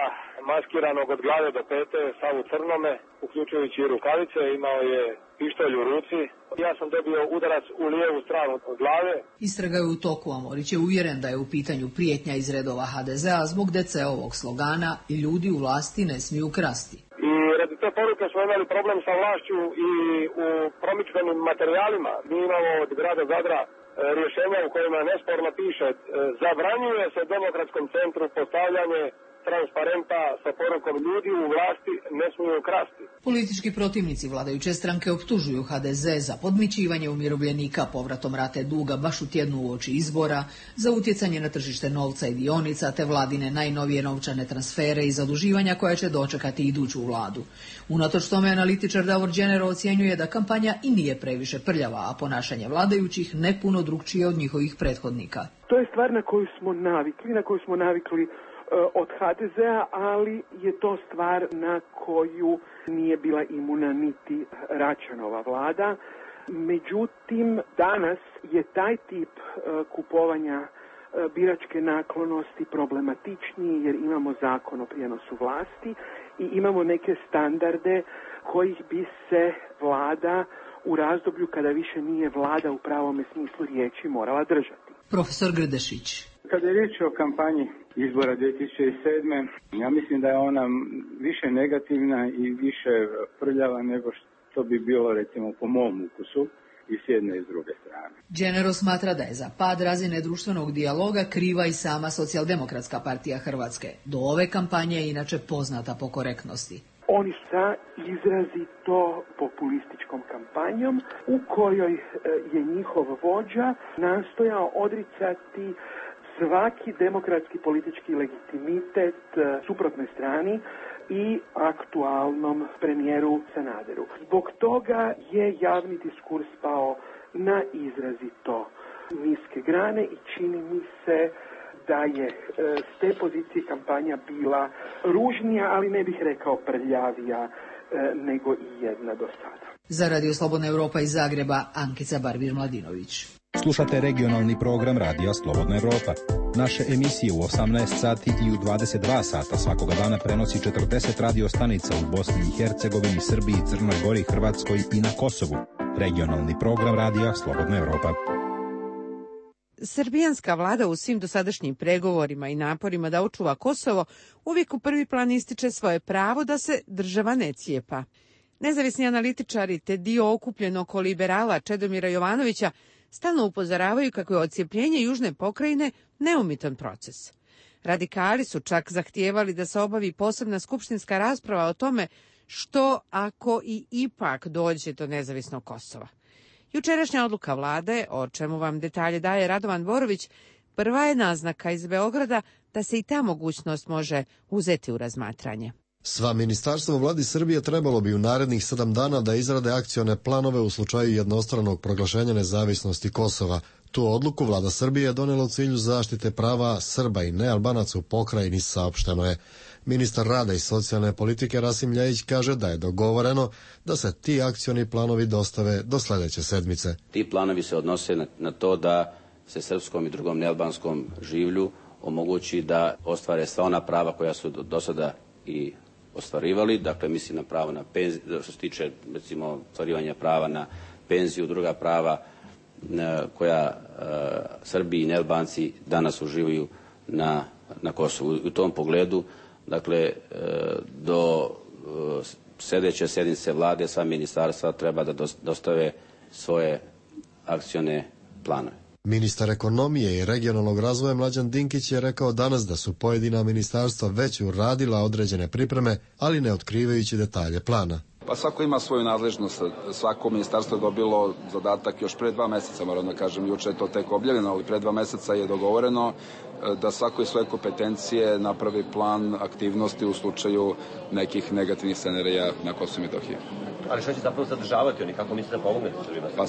maskiranog od glave do pete, sav u crnome, uključujući i rukavice, imao je pištolj u ruci. Ja sam dobio udarac u lijevu stranu od glave. Istraga je u toku, a Morić je uvjeren da je u pitanju prijetnja iz redova HDZ-a zbog DC-ovog slogana i ljudi u vlasti ne smiju krasti. I radi te poruke smo imali problem sa vlašću i u promidžbenim materijalima. Mi imamo od grada Zadra rješenja u kojima nesporno piše zabranjuje se Demokratskom centru postavljanje transparenta sa porukom ljudi u vlasti ne smiju krasti. Politički protivnici vladajuće stranke optužuju HDZ za podmićivanje umirovljenika povratom rate duga baš u tjednu uoči izbora, za utjecanje na tržište novca i dionica, te vladine najnovije novčane transfere i zaduživanja koja će dočekati iduću vladu. Unatoč tome analitičar Davor Đenero ocjenjuje da kampanja i nije previše prljava, a ponašanje vladajućih ne puno drukčije od njihovih prethodnika. To je stvar na koju smo navikli od HDZ-a, ali je to stvar na koju nije bila imuna niti Račanova vlada. Međutim, danas je taj tip kupovanja biračke naklonosti problematičniji jer imamo zakon o prijenosu vlasti i imamo neke standarde kojih bi se vlada u razdoblju kada više nije vlada u pravome smislu riječi morala držati. Profesor Grdešić. Kada je riječ o kampanji izbora 2007. ja mislim da je ona više negativna i više prljava nego što bi bilo recimo po mom ukusu i s jedne i s druge strane. Đenero smatra da je za pad razine društvenog dijaloga kriva i sama Socijaldemokratska partija Hrvatske. Do ove kampanje je inače poznata po korektnosti. Oni sa izrazito populističkom kampanjom u kojoj je njihov vođa nastojao odricati svaki demokratski politički legitimitet suprotnoj strani i aktualnom premijeru Sanaderu. Zbog toga je javni diskurs pao na izrazito niske grane i čini mi se da je s te pozicije kampanja bila ružnija, ali ne bih rekao prljavija nego i jedna do sada. Za Radio Slobodna Europa iz Zagreba, Ankica Barbir-Mladinović. Slušate regionalni program Radija Slobodna Europa. Naše emisije u 18 sati i u 22 sata svakoga dana prenosi 40 radio stanica u Bosni i Hercegovini, Srbiji, Crnoj Gori, Hrvatskoj i na Kosovu. Regionalni program Radija Slobodna Europa. Srbijanska vlada u svim dosadašnjim pregovorima i naporima da očuva Kosovo uvijek u prvi plan ističe svoje pravo da se država ne cijepa. Nezavisni analitičari te dio okupljen oko liberala Čedomira Jovanovića stalno upozoravaju kako je odcijepljenje južne pokrajine neumitan proces. Radikali su čak zahtijevali da se obavi posebna skupštinska rasprava o tome što ako i ipak dođe do nezavisnog Kosova. Jučerašnja odluka vlade, o čemu vam detalje daje Radovan Borović, prva je naznaka iz Beograda da se i ta mogućnost može uzeti u razmatranje. Sva ministarstva u vladi Srbije trebalo bi u narednih 7 dana da izrade akcione planove u slučaju jednostranog proglašenja nezavisnosti Kosova. Tu odluku vlada Srbije je donela u cilju zaštite prava Srba i nealbanaca u pokrajini, saopšteno je. Ministar rada i socijalne politike Rasim Ljajić kaže da je dogovoreno da se ti akcioni planovi dostave do sljedeće sedmice. Ti planovi se odnose na to da se srpskom i drugom nealbanskom življu omogući da ostvare sva ona prava koja su do sada i ostvarivali, dakle mislim na pravo na penziju, što se tiče recimo ostvarivanja prava na penziju, druga prava koja Srbi i nealbanci danas uživaju na Kosovu. U tom pogledu, dakle, do sljedeće sjednice vlade sva ministarstva treba da dostave svoje akcione planove. Ministar ekonomije i regionalnog razvoja Mlađan Dinkić je rekao danas da su pojedina ministarstva već uradila određene pripreme, ali ne otkrivajući detalje plana. Pa svako ima svoju nadležnost, svako ministarstvo je dobilo zadatak još pre 2 meseca, moram da kažem, juče je to tek objavljeno, ali pre 2 meseca je dogovoreno da svako iz svoje kompetencije napravi plan aktivnosti u slučaju nekih negativnih scenarija na Kosovu i Metohiji. Ali što će zapravo sadržavati oni, kako mislite da pomognete Srbima? Pa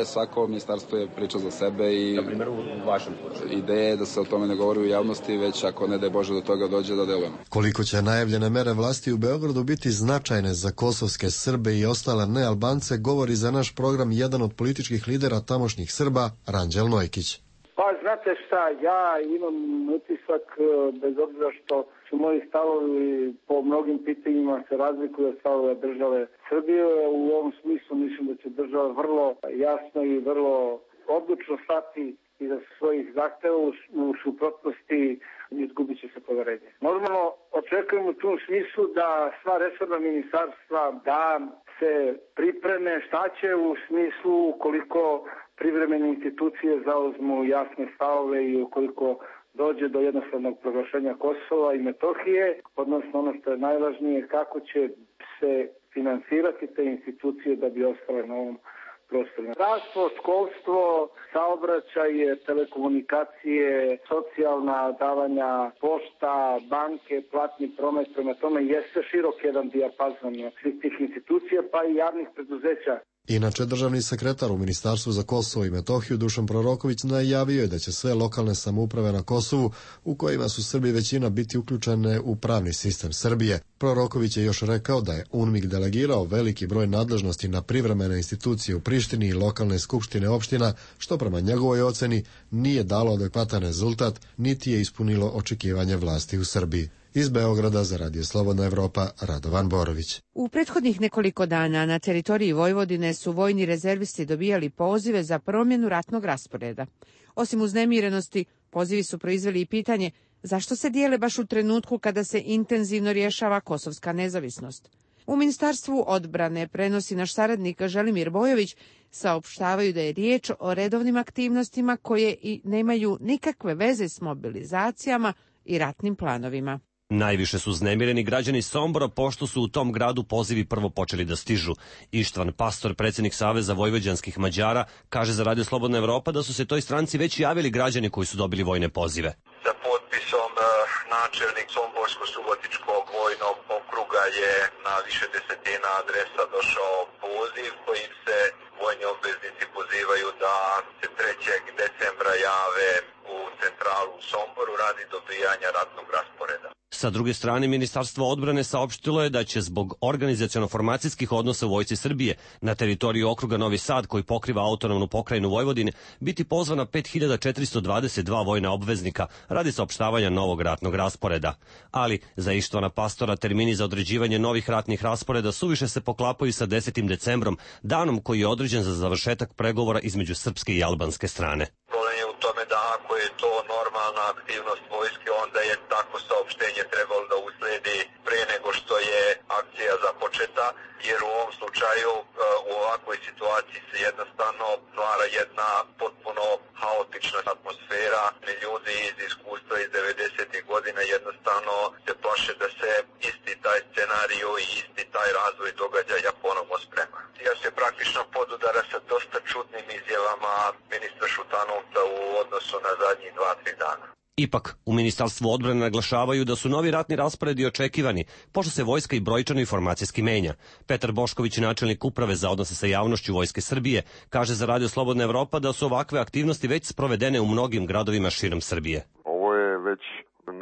svako ministarstvo je priča za sebe i na primjer u vašem slučaju. Ideja je da se o tome ne govori u javnosti, već ako ne daj Bože do toga dođe da delujemo. Koliko će najavljene mere vlasti u Beogradu biti značajne za kosovske Srbe i ostale nealbance, govori za naš program jedan od političkih lidera tamošnjih Srba, Ranđel Nojkić. Pa znate šta, ja imam utisak, bez obzira što su moji stavovi po mnogim pitanjima se razlikuju od stavova države Srbije. U ovom smislu mislim da će država vrlo jasno i vrlo odlučno stati iza svojih zahteva, u suprotnosti izgubit će se poverenje. Normalno očekujem u tom smislu da sva resorna ministarstva da se pripreme šta će u smislu ukoliko privremene institucije zauzmu jasne stavove i ukoliko dođe do jednostavnog proglašenja Kosova i Metohije, odnosno ono što je najvažnije, kako će se finansirati te institucije da bi ostale na ovom prostoru. Zdravstvo, školstvo, saobraćaj, telekomunikacije, socijalna davanja, pošta, banke, platni promet, prema tome jeste širok jedan dijapazon svih tih institucija, pa i javnih preduzeća. Inače, državni sekretar u Ministarstvu za Kosovo i Metohiju Dušan Proroković najavio je da će sve lokalne samouprave na Kosovu, u kojima su Srbi većina, biti uključene u pravni sistem Srbije. Proroković je još rekao da je UNMIK delegirao veliki broj nadležnosti na privremene institucije u Prištini i lokalne skupštine opština, što prema njegovoj oceni nije dalo adekvatan rezultat, niti je ispunilo očekivanje vlasti u Srbiji. Iz Beograda za Radio Slobodna Evropa, Radovan Borović. U prethodnih nekoliko dana na teritoriji Vojvodine su vojni rezervisti dobijali pozive za promjenu ratnog rasporeda. Osim uznemirenosti, pozivi su proizveli i pitanje zašto se dijele baš u trenutku kada se intenzivno rješava kosovska nezavisnost. U Ministarstvu odbrane, prenosi naš saradnik Želimir Bojović, saopštavaju da je riječ o redovnim aktivnostima koje i nemaju nikakve veze s mobilizacijama i ratnim planovima. Najviše su uznemireni građani Sombora, pošto su u tom gradu pozivi prvo počeli da stižu. Ištvan Pastor, predsjednik Saveza vojvođanskih Mađara, kaže za Radio Slobodna Evropa da su se toj stranci već javili građani koji su dobili vojne pozive. Sa potpisom načelnik Somborsko-Subotičkog vojnog okruga je na više desetina adresa došao poziv kojim se vojni obveznici pozivaju da se 3. decembra jave u centralu u Somboru radi dobijanja ratnog rasporeda. Sa druge strane, Ministarstvo odbrane saopštilo je da će zbog organizaciono-formacijskih odnosa u Vojsci Srbije na teritoriju okruga Novi Sad, koji pokriva autonomnu pokrajinu Vojvodine, biti pozvana 5422 vojna obveznika radi saopštavanja novog ratnog rasporeda. Ali za Ištvana Pastora termini za određivanje novih ratnih rasporeda suviše se poklapaju sa 10. decembrom, danom koji je određen za završetak pregovora između srpske i albanske strane. Problem je u tome da ako je to normalna aktivnost vojske, onda je tako saopštenje trebalo da usledi pre nego što je akcija započeta, jer u ovom slučaju u ovakvoj situaciji se jednostavno stvara jedna potpuno haotična atmosfera. Ljudi iz iskustva iz 90. godina jednostavno se plaše da se isti taj scenariju i isti taj razvoj događaja ponovno sprema. Ja se praktično podudara sa dosta čudnim izjavama ministra Šutanovca u odnosu na zadnjih 2-3 dana. Ipak, u Ministarstvu odbrane naglašavaju da su novi ratni rasporedi očekivani, pošto se vojska i brojčano i formacijski menja. Petar Bošković, načelnik uprave za odnose sa javnošću Vojske Srbije, kaže za Radio Slobodna Evropa da su ovakve aktivnosti već sprovedene u mnogim gradovima širom Srbije. Ovo je već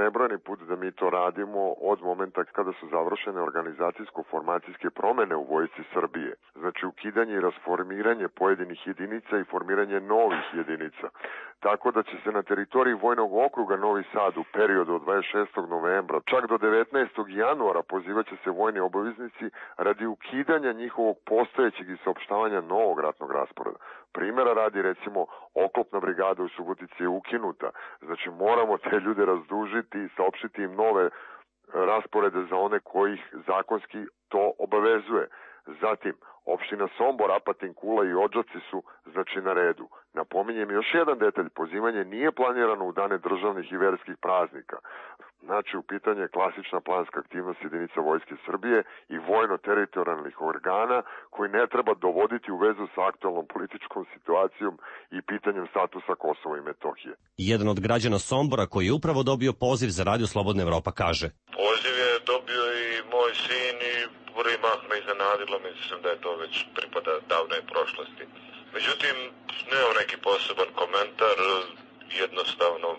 nebrojni put da mi to radimo od momenta kada su završene organizacijsko-formacijske promene u Vojsci Srbije. Znači ukidanje i rasformiranje pojedinih jedinica i formiranje novih jedinica. Tako da će se na teritoriji Vojnog okruga Novi Sad u periodu od 26. novembra čak do 19. januara pozivaće se vojni obaveznici radi ukidanja njihovog postojećeg i saopštavanja novog ratnog rasporeda. Primjera radi, recimo, oklopna brigada u Subotici je ukinuta. Znači moramo te ljude razdužiti i saopštiti im nove rasporede za one kojih zakonski to obavezuje. Zatim, opština Sombor, Apatin, Kula i Odžaci su znači na redu. Napominjem još jedan detalj, pozivanje nije planirano u dane državnih i verskih praznika. Znači u pitanje je klasična planska aktivnost jedinica Vojske Srbije i vojno-teritorijalnih organa koji ne treba dovoditi u vezu sa aktualnom političkom situacijom i pitanjem statusa Kosova i Metohije. Jedan od građana Sombora koji je upravo dobio poziv za Radio Slobodna Evropa kaže: Poziv je dobio i moj sin i prvi mah me iznenadilo, mislim da je to već pripada davnoj prošlosti. Međutim, nemam neki poseban komentar, jednostavno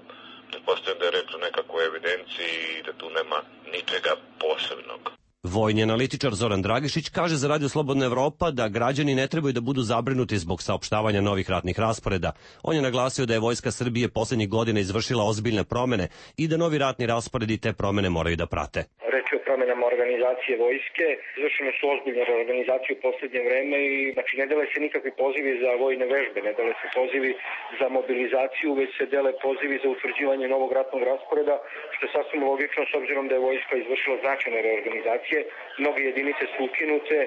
pretpostavljam da je rekla nekako u evidenciji i da tu nema ničega posebnog. Vojni analitičar Zoran Dragišić kaže za Radio Slobodna Evropa da građani ne trebaju da budu zabrinuti zbog saopštavanja novih ratnih rasporeda. On je naglasio da je Vojska Srbije poslednjih godina izvršila ozbiljne promene i da novi ratni rasporedi te promene moraju da prate. Reč je o promjenama organizacije vojske. Izvršene su ozbiljne reorganizacije u posljednje vreme i znači ne dele se nikakvi pozivi za vojne vežbe, ne dele se pozivi za mobilizaciju, već se dele pozivi za utvrđivanje novog ratnog rasporeda, što je sasvim logično s obzirom da je vojska izvršila značajne reorganizacije. Mnoge jedinice su ukinute,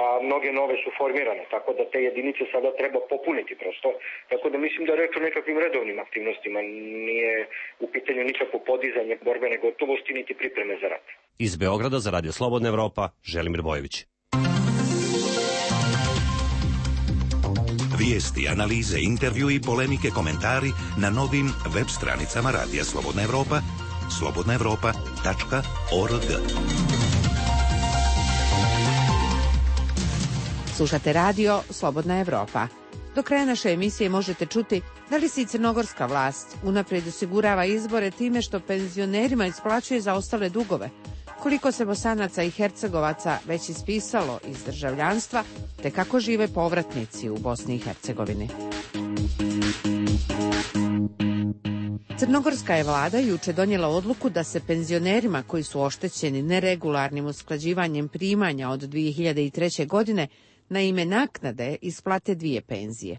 a mnoge nove su formirane, tako da te jedinice sada treba popuniti prosto. Tako da mislim da je reč o nekakvim redovnim aktivnostima, nije u pitanju nikakvo podizanje borbene gotovosti niti pripreme za rat. Iz Beograda za Radio Slobodna Evropa, Želimir Bojović. Vijesti, analize, intervju i polemike, komentari na novim web stranicama Radija Slobodna Evropa, slobodnaevropa.org. Slušate radio Slobodna Evropa. Do kraja naše emisije možete čuti da li se i crnogorska vlast unaprijed osigurava izbore time što penzionerima isplaćuje zaostale dugove, koliko se Bosanaca i Hercegovaca već ispisalo iz državljanstva, te kako žive povratnici u Bosni i Hercegovini. Crnogorska je vlada juče donijela odluku da se penzionerima koji su oštećeni neregularnim usklađivanjem primanja od 2003. godine na ime naknade isplate dvije penzije.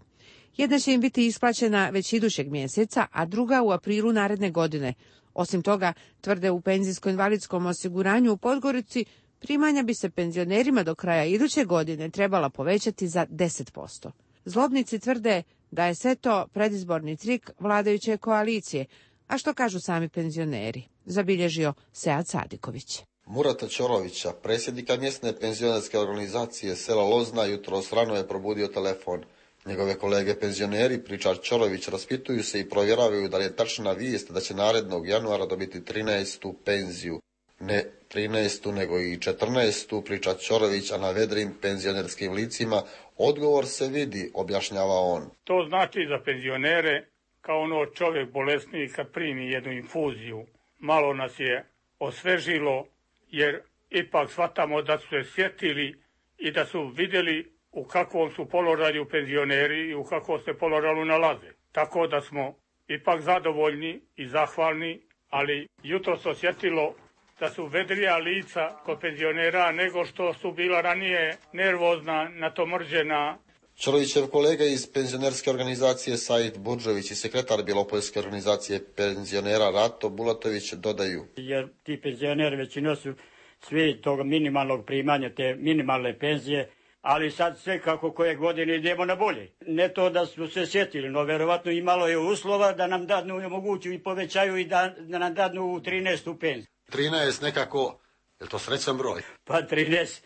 Jedna će im biti isplaćena već idućeg mjeseca, a druga u aprilu naredne godine. Osim toga, tvrde u penzijsko-invalidskom osiguranju u Podgorici, primanja bi se penzionerima do kraja iduće godine trebala povećati za 10%. Zlobnici tvrde da je sve to predizborni trik vladajuće koalicije, a što kažu sami penzioneri, zabilježio Sead Sadiković. Murata Ćorovića, predsjednika mjesne penzionerske organizacije sela Lozna, jutros rano je probudio telefon. Njegove kolege penzioneri, pričar Ćorović, raspituju se i provjeravaju da li je tačna vijest da će narednog januara dobiti 13. penziju. Ne 13. nego i 14. priča Ćorović, a na vedrim penzionerskim licima odgovor se vidi, objašnjava on. To znači za penzionere, kao ono čovjek bolesniji kad primi jednu infuziju, malo nas je osvežilo, jer ipak shvatamo da su se sjetili i da su vidjeli u kakvom su položaju penzioneri i u kakvom se položaju nalaze. Tako da smo ipak zadovoljni i zahvalni, ali jutro se osjetilo da su vedrija lica kod penzionera nego što su bila ranije nervozna, natomrđena. Ćorovićev kolega iz penzionerske organizacije Said Budžović i sekretar Bjelopoljske organizacije penzionera Rato Bulatović dodaju. Jer ti penzioneri većino su svi toga minimalnog primanja, te minimalne penzije, ali sad sve kako koje godine idemo na bolje. Ne to da smo se sjetili, no verovatno imalo je uslova da nam dadnu omoguću i povećaju i da nam dadnu u 13. penziju. 13 nekako, je to srećan broj? Pa 13.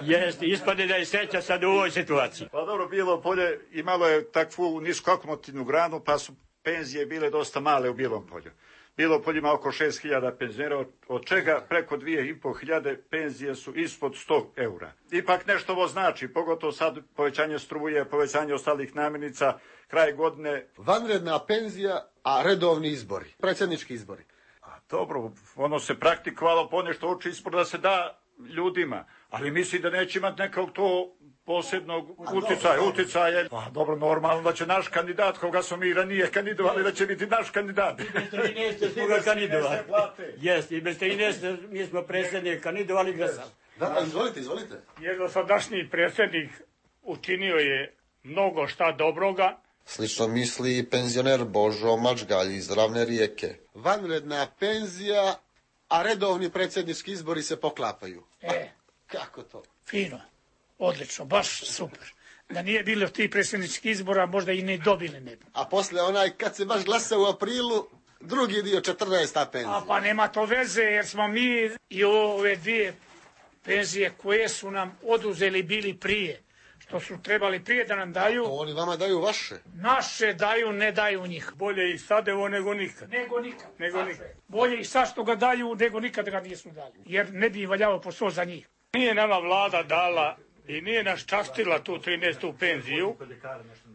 Jest, ispade da je sreća sad u ovoj situaciji. Pa dobro, Bijelo Polje imalo je takvu nisko akomotivnu granu, pa su penzije bile dosta male u Bijelom Polju. Bijelo Polje ima oko 6.000 penzionera, od čega preko 2.500 penzije su ispod 100 eura. Ipak nešto ovo znači, pogotovo sad povećanje struje, povećanje ostalih namirnica, kraj godine. Vanredna penzija, a redovni izbori, predsjednički izbori. A dobro, ono se praktikovalo ponešto uči ispod da se da ljudima, ali misli da neće imati nekog to posebnog uticaja. Pa dobro, normalno da će naš kandidat, koga smo mi ranije kandidovali, da će biti naš kandidat. I bez 13 smo ga kandidovali. Jest, i bez 13 mi smo predsjednik kandidovali glasali. Da, izvolite. Jer dosadašnji predsjednik učinio je mnogo šta dobroga. Slično misli i penzioner Božo Mačgalj iz Ravne Rijeke. Vanredna penzija, a redovni predsjednički izbori se poklapaju. Kako to? Fino, odlično, baš super. Da nije bilo tih predsjedničkih izbora, možda i ne dobili ne bi. A posle kad se baš glasa u aprilu, drugi dio 14. penzija. A pa nema to veze, jer smo mi i ove dvije penzije koje su nam oduzeli bili prije, što su trebali prije da nam daju. To oni vama daju vaše. Naše daju, ne daju njih. Bolje i sad evo nego nikad. Nego nikad. Bolje i sad što ga daju, nego nikad ga nisu dali. Jer ne bi valjalo posao za njih. Nije nama vlada dala i nije nas častila tu 13. penziju,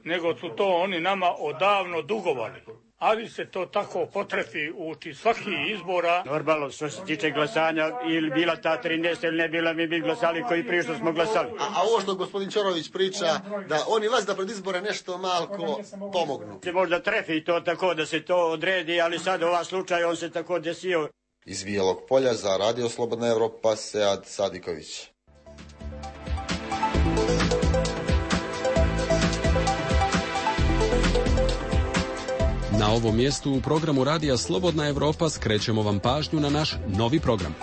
nego su to oni nama odavno dugovali. Ali se to tako potrefi uči svaki izbora. Normalno, što se tiče glasanja, ili bila ta 13 ili ne bila, mi bi glasali koji prije što smo glasali. A ovo što gospodin Ćorović priča, da oni vas da pred izbore nešto malko pomognu. Se možda trefi to tako da se to odredi, ali sad ova slučaj on se tako desio. Iz Bijelog Polja za Radio Slobodna Evropa, Sead Sadiković. Na ovom mjestu u programu Radija Slobodna Evropa skrećemo vam pažnju na naš novi program.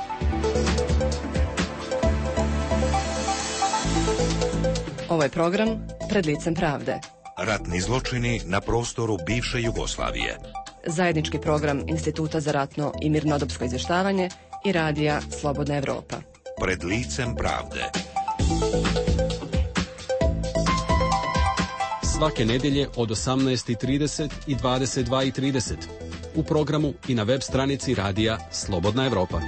Ovaj program Pred licem pravde. Ratni zločini na prostoru bivše Jugoslavije. Zajednički program Instituta za ratno i mirnodopsko izvještavanje i Radija Slobodna Evropa. Pred licem pravde. Svake nedjelje od 18:30 i 22:30 u programu i na web stranici Radija Slobodna Evropa.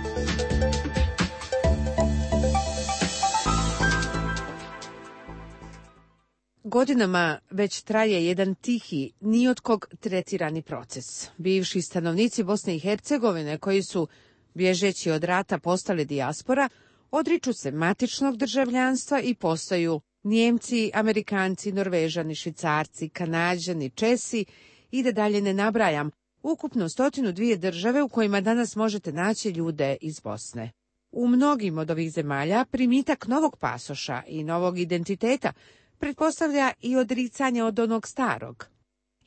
Godinama već traje jedan tihi, ni od kog tretirani proces. Bivši stanovnici Bosne i Hercegovine, koji su, bježeći od rata, postali dijaspora, odriču se matičnog državljanstva i postaju Njemci, Amerikanci, Norvežani, Švicarci, Kanađani, Česi i da dalje ne nabrajam, ukupno 102 države u kojima danas možete naći ljude iz Bosne. U mnogim od ovih zemalja primitak novog pasoša i novog identiteta pretpostavlja i odricanje od onog starog.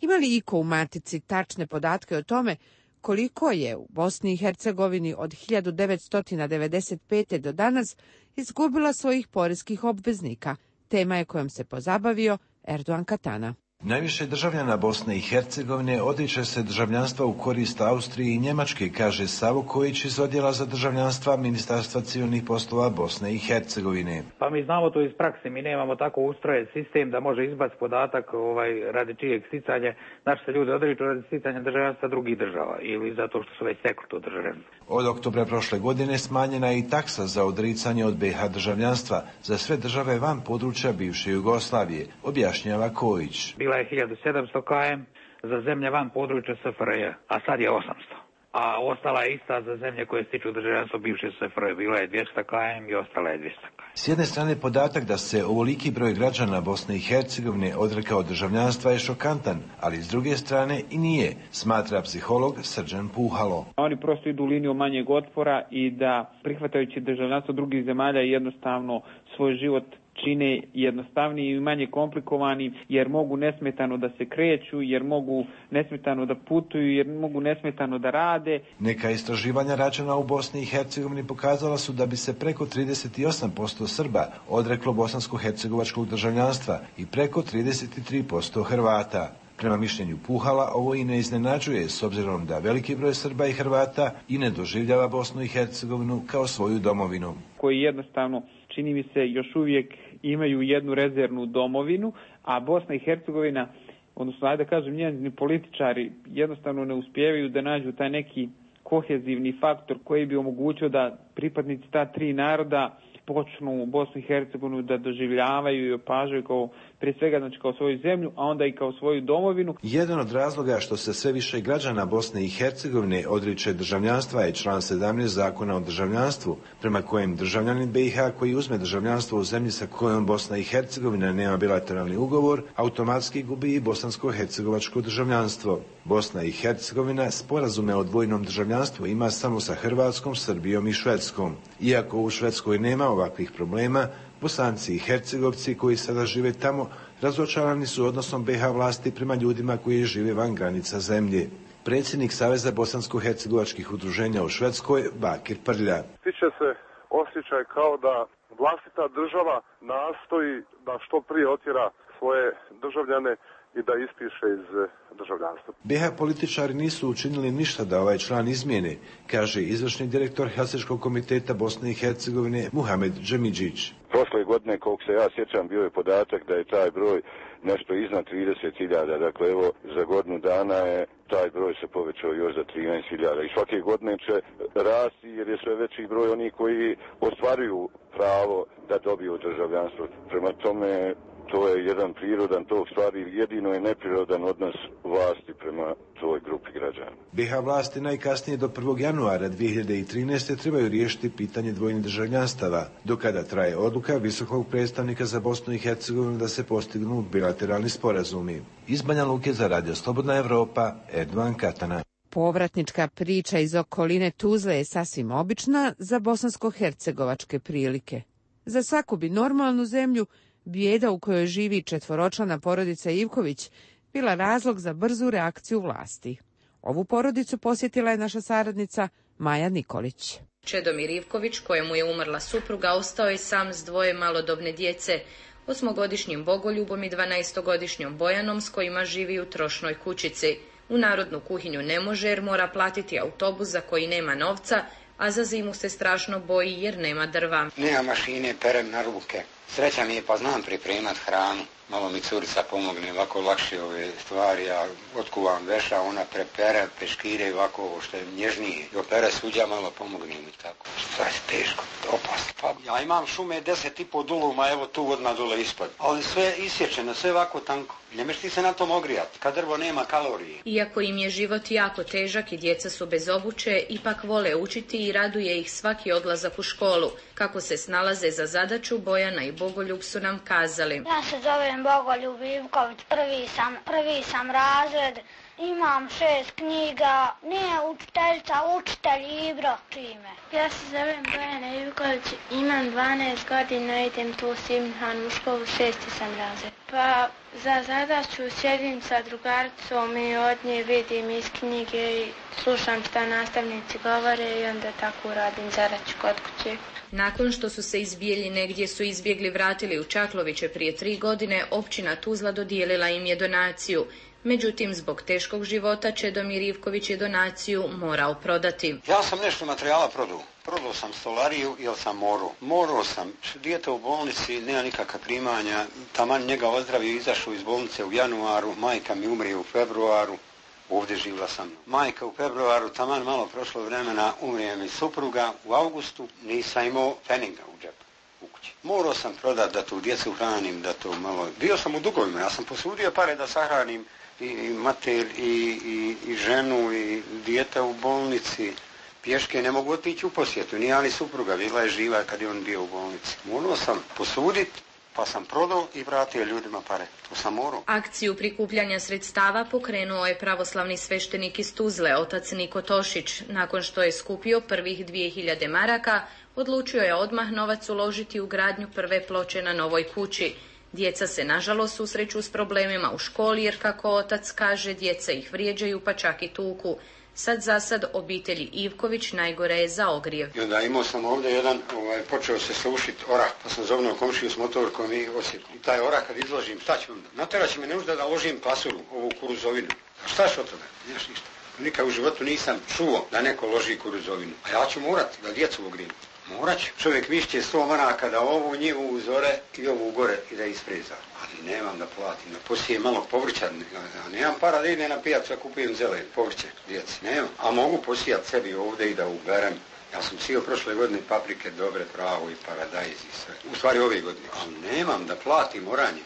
Ima li iko u matici tačne podatke o tome koliko je u Bosni i Hercegovini od 1995. do danas izgubila svojih poreskih obveznika? Tema je kojom se pozabavio Erdogan Katana. Najviše državljana Bosne i Hercegovine odriče se državljanstva u korist Austrije i Njemačke, kaže Savo Kojić iz odjela za državljanstva Ministarstva civilnih poslova Bosne i Hercegovine. Pa mi znamo to iz prakse, mi nemamo tako ustrojen sistem da može izbaciti podatak radi čijeg sticanja. Naši se ljudi odriču radi sticanja državljanstva drugih država ili zato što su već stekli to državljanstvo. Od oktobra prošle godine smanjena je i taksa za odricanje od BiH državljanstva za sve države van područja bivše Jugoslavije, objašnjava Kojić. Bila je 1700 km za zemlje van područja SFRJ, a sad je 800. A ostala je ista za zemlje koje stiču državljanstvo bivše SFRJ. Bila je 200 km i ostala je 200 km. S jedne strane podatak da se ovoliki broj građana Bosne i Hercegovine odrekao državljanstva je šokantan, ali s druge strane i nije, smatra psiholog Srđan Puhalo. Oni prosto idu liniju manjeg otpora i da prihvatajući državljanstvo drugih zemalja jednostavno svoj život čine jednostavniji i manje komplikovani, jer mogu nesmetano da se kreću, jer mogu nesmetano da putuju, jer mogu nesmetano da rade. Neka istraživanja rađena u Bosni i Hercegovini pokazala su da bi se preko 38% Srba odreklo bosansko-hercegovačkog državljanstva i preko 33% Hrvata. Prema mišljenju Puhala, ovo i ne iznenađuje, s obzirom da veliki broj Srba i Hrvata i ne doživljava Bosnu i Hercegovinu kao svoju domovinu. Koji jednostavno, čini mi se, još uvijek imaju jednu rezervnu domovinu, a Bosna i Hercegovina, odnosno, ajde da kažem, njeni političari jednostavno ne uspijevaju da nađu taj neki kohezivni faktor koji bi omogućio da pripadnici ta tri naroda počnu Bosnu i Hercegovinu da doživljavaju i opažaju kao, prije svega, znači kao svoju zemlju, a onda i kao svoju domovinu. Jedan od razloga što se sve više građana Bosne i Hercegovine odriče državljanstva je član 17 Zakona o državljanstvu, prema kojem državljanin BiH koji uzme državljanstvo u zemlji sa kojom Bosna i Hercegovina nema bilateralni ugovor, automatski gubi i bosansko-hercegovačko državljanstvo. Bosna i Hercegovina sporazume o dvojnom državljanstvu ima samo sa Hrvatskom, Srbijom i Švedskom. Iako u Švedskoj nema ovakvih problema, Bosanci i Hercegovci koji sada žive tamo razočarani su odnosom BiH vlasti prema ljudima koji žive van granica zemlje. Predsjednik Saveza bosansko-hercegovačkih udruženja u Švedskoj, Bakir Prlja. Stiče se osjećaj kao da vlastita država nastoji da što prije otjera svoje državljane i da ispiše iz državljanstva. BiH političari nisu učinili ništa da ovaj član izmijene, kaže izvršni direktor Helsinškog komiteta Bosne i Hercegovine Muhamed Džemidžić. Prošle godine, koliko se ja sjećam, bio je podatak da je taj broj nešto iznad 30.000. Dakle, evo, za godinu dana je taj broj se povećao još za 13.000. I svake godine će rasti jer je sve veći broj onih koji ostvaruju pravo da dobiju državljanstvo. Prema tome, to je jedan prirodan tok stvari, jedino je neprirodan odnos vlasti prema toj grupi građana. BiH vlasti najkasnije do 1. januara 2013. trebaju riješiti pitanje dvojnih državljanstava, do kada traje odluka visokog predstavnika za Bosnu i Hercegovinu da se postignu bilateralni sporazumi. Iz Banja Luke za Radio Slobodna Evropa, Erdogan Katana. Povratnička priča iz okoline Tuzle je sasvim obična za bosansko-hercegovačke prilike. Za svaku bi normalnu zemlju bijeda u kojoj živi četvoročlana porodica Ivković bila razlog za brzu reakciju vlasti. Ovu porodicu posjetila je naša saradnica Maja Nikolić. Čedomir Ivković, kojemu je umrla supruga, ostao je sam s dvoje malodobne djece, 8-godišnjim Bogoljubom i 12-godišnjom Bojanom, s kojima živi u trošnoj kućici. U narodnu kuhinju ne može jer mora platiti autobus za koji nema novca, a za zimu se strašno boji jer nema drva. Nema mašine, perem na ruke. Sreća mi je pa znam pripremat hranu. Malo mi curica pomogne, ovako lakše ove stvari, ja otkuvam veša, ona prepere, peškire, ovako ovo što je nježnije. I opere suđa, malo pomogne mi tako. Šta je teško, opasno. Pa ja imam šume 10,5 duluma, evo tu odmah dole ispod. Ali sve isječeno, sve ovako tanko. Ne meš ti se na tom ogrijati, kad drvo nema kalorije. Iako im je život jako težak i djeca su bez obuće, ipak vole učiti i raduje ih svaki odlazak u školu. Kako se snalaze za zadaću, Bojana i Bogoljub su nam kazali. Ja se zovem Bogoljub Ivković, prvi sam razred, imam 6 knjiga, nije učiteljica, učitelj Ibro čime. Ja se zovem Bojana Ivković, imam 12 godina, idem tu u Simhanu u školu, 6. sam razred. Pa za zadaću sjedim sa drugaricom i od nje vidim iz knjige i slušam šta nastavnici govore i onda tako radim zadaću kod kuće. Nakon što su se iz Bijeljine, gdje su izbjegli, vratili u Čakloviće prije 3 godine, općina Tuzla dodijelila im je donaciju. Međutim, zbog teškog života Čedomir Ivković je donaciju morao prodati. Ja sam nešto materijala prodao. Prodao sam stolariju jer sam morao. Morao sam. Dijete u bolnici, nema nikakva primanja. Taman njega ozdravio, izašao iz bolnice u januaru. Majka mi umrije u februaru. Ovdje živla sam. Majka u februaru, taman malo prošlo vremena, umrije mi supruga. U avgustu nisam imao peninga u džepu. Morao sam prodati da tu djecu hranim, da to malo... Bio sam u dugovima, ja sam posudio pare da sahranim i mater i ženu i dijete u bolnici. Pješke ne mogu otići u posjetu, nije ali supruga, bila je živa kad je on bio u bolnici. Morao sam posuditi, pa sam prodao i vratio ljudima pare. To sam morao. Akciju prikupljanja sredstava pokrenuo je pravoslavni sveštenik iz Tuzle, otac Niko Tošić. Nakon što je skupio prvih 2000 maraka, odlučio je odmah novac uložiti u gradnju prve ploče na novoj kući. Djeca se nažalost susreću s problemima u školi jer, kako otac kaže, djeca ih vrijeđaju pa čak i tuku. Sad za sad obitelji Ivković najgore je za ogrijev. I onda imao sam ovdje jedan, počeo se sušiti orah, pa sam zovnuo komšiju s motorkom i osjetio. I taj orah kad izložim, šta ću onda? Natjerat će me nužda da ložim pasuru, ovu kuruzovinu. A šta ću od toga? Nemaš ništa. Nikad u životu nisam čuo da neko loži kuruzovinu. A ja ću morati da djecu ogrijem. Morat ću. Čovjek višće 100 maraka da ovu njivu uzore i ovu gore i da ispreza. Ali nemam da platim. Poslije malo povrća. Nemam para da idem na pijacu, a kupujem zelen povrće djeci. Nemam. A mogu posijati sebi ovdje i da uberem. Ja sam sio prošle godine paprike dobre, pravo i paradajz i sve. U stvari ove godine. Ali nemam da platim oranje.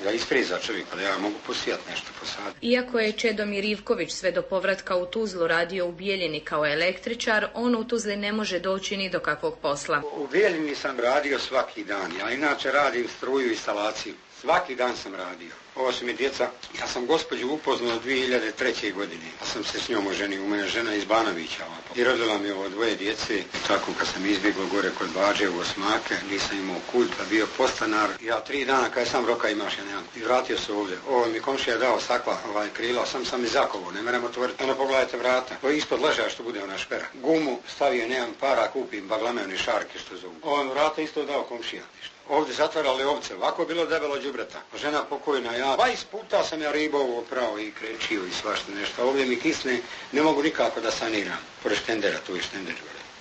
Da ispreza čovjeka, da ja mogu posijati nešto posaditi. Iako je Čedomir Ivković sve do povratka u Tuzlu radio u Bijeljini kao električar, on u Tuzli ne može doći ni do kakvog posla. U Bijeljini sam radio svaki dan. Ja inače radim struju i instalaciju. Svaki dan sam radio. Ovo su mi djeca. Ja sam gospođu upoznao 2003. godine. Ja sam se s njom oženio. U mene žena iz Banovića. I rodila mi ovo 2 djece. Tako kad sam izbjegao gore kod Bađe u Osmake, nisam imao kud, pa bio postanar. Ja 3 dana kad sam roka imaš, ja nemam. I vratio se ovdje. Ovo mi komšija dao stakla, krila, sam izakovo, ne merem otvoriti. Ono pogledajte vrata. Ovo ispod ležaja što bude ona špera. Gumu stavio, nemam para, kupim baglamevni šarke što zovu. Ovo vrata isto dao komšija. Ovdje zatvarali ovce, ovako je bilo debelo đubreta. Žena pokojna, ja 20 puta sam ja ribovo oprao i krečio i svašta nešto. Ovdje mi kisne, ne mogu nikako da saniram. Pored štendera, tu je štender,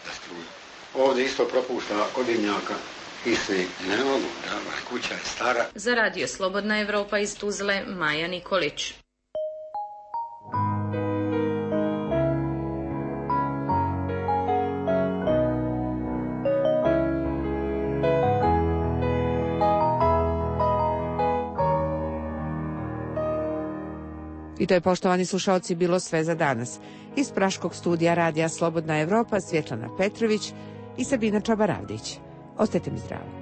da struju. Ovdje isto propušta od dimnjaka. Kisne, ne mogu, da, kuća je stara. Za radio Slobodna Evropa iz Tuzle, Maja Nikolić. I to je, poštovani slušaoci, bilo sve za danas. Iz praškog studija radija Slobodna Evropa, Svjetlana Petrović i Sabina Čabaravdić. Ostajte mi zdravo.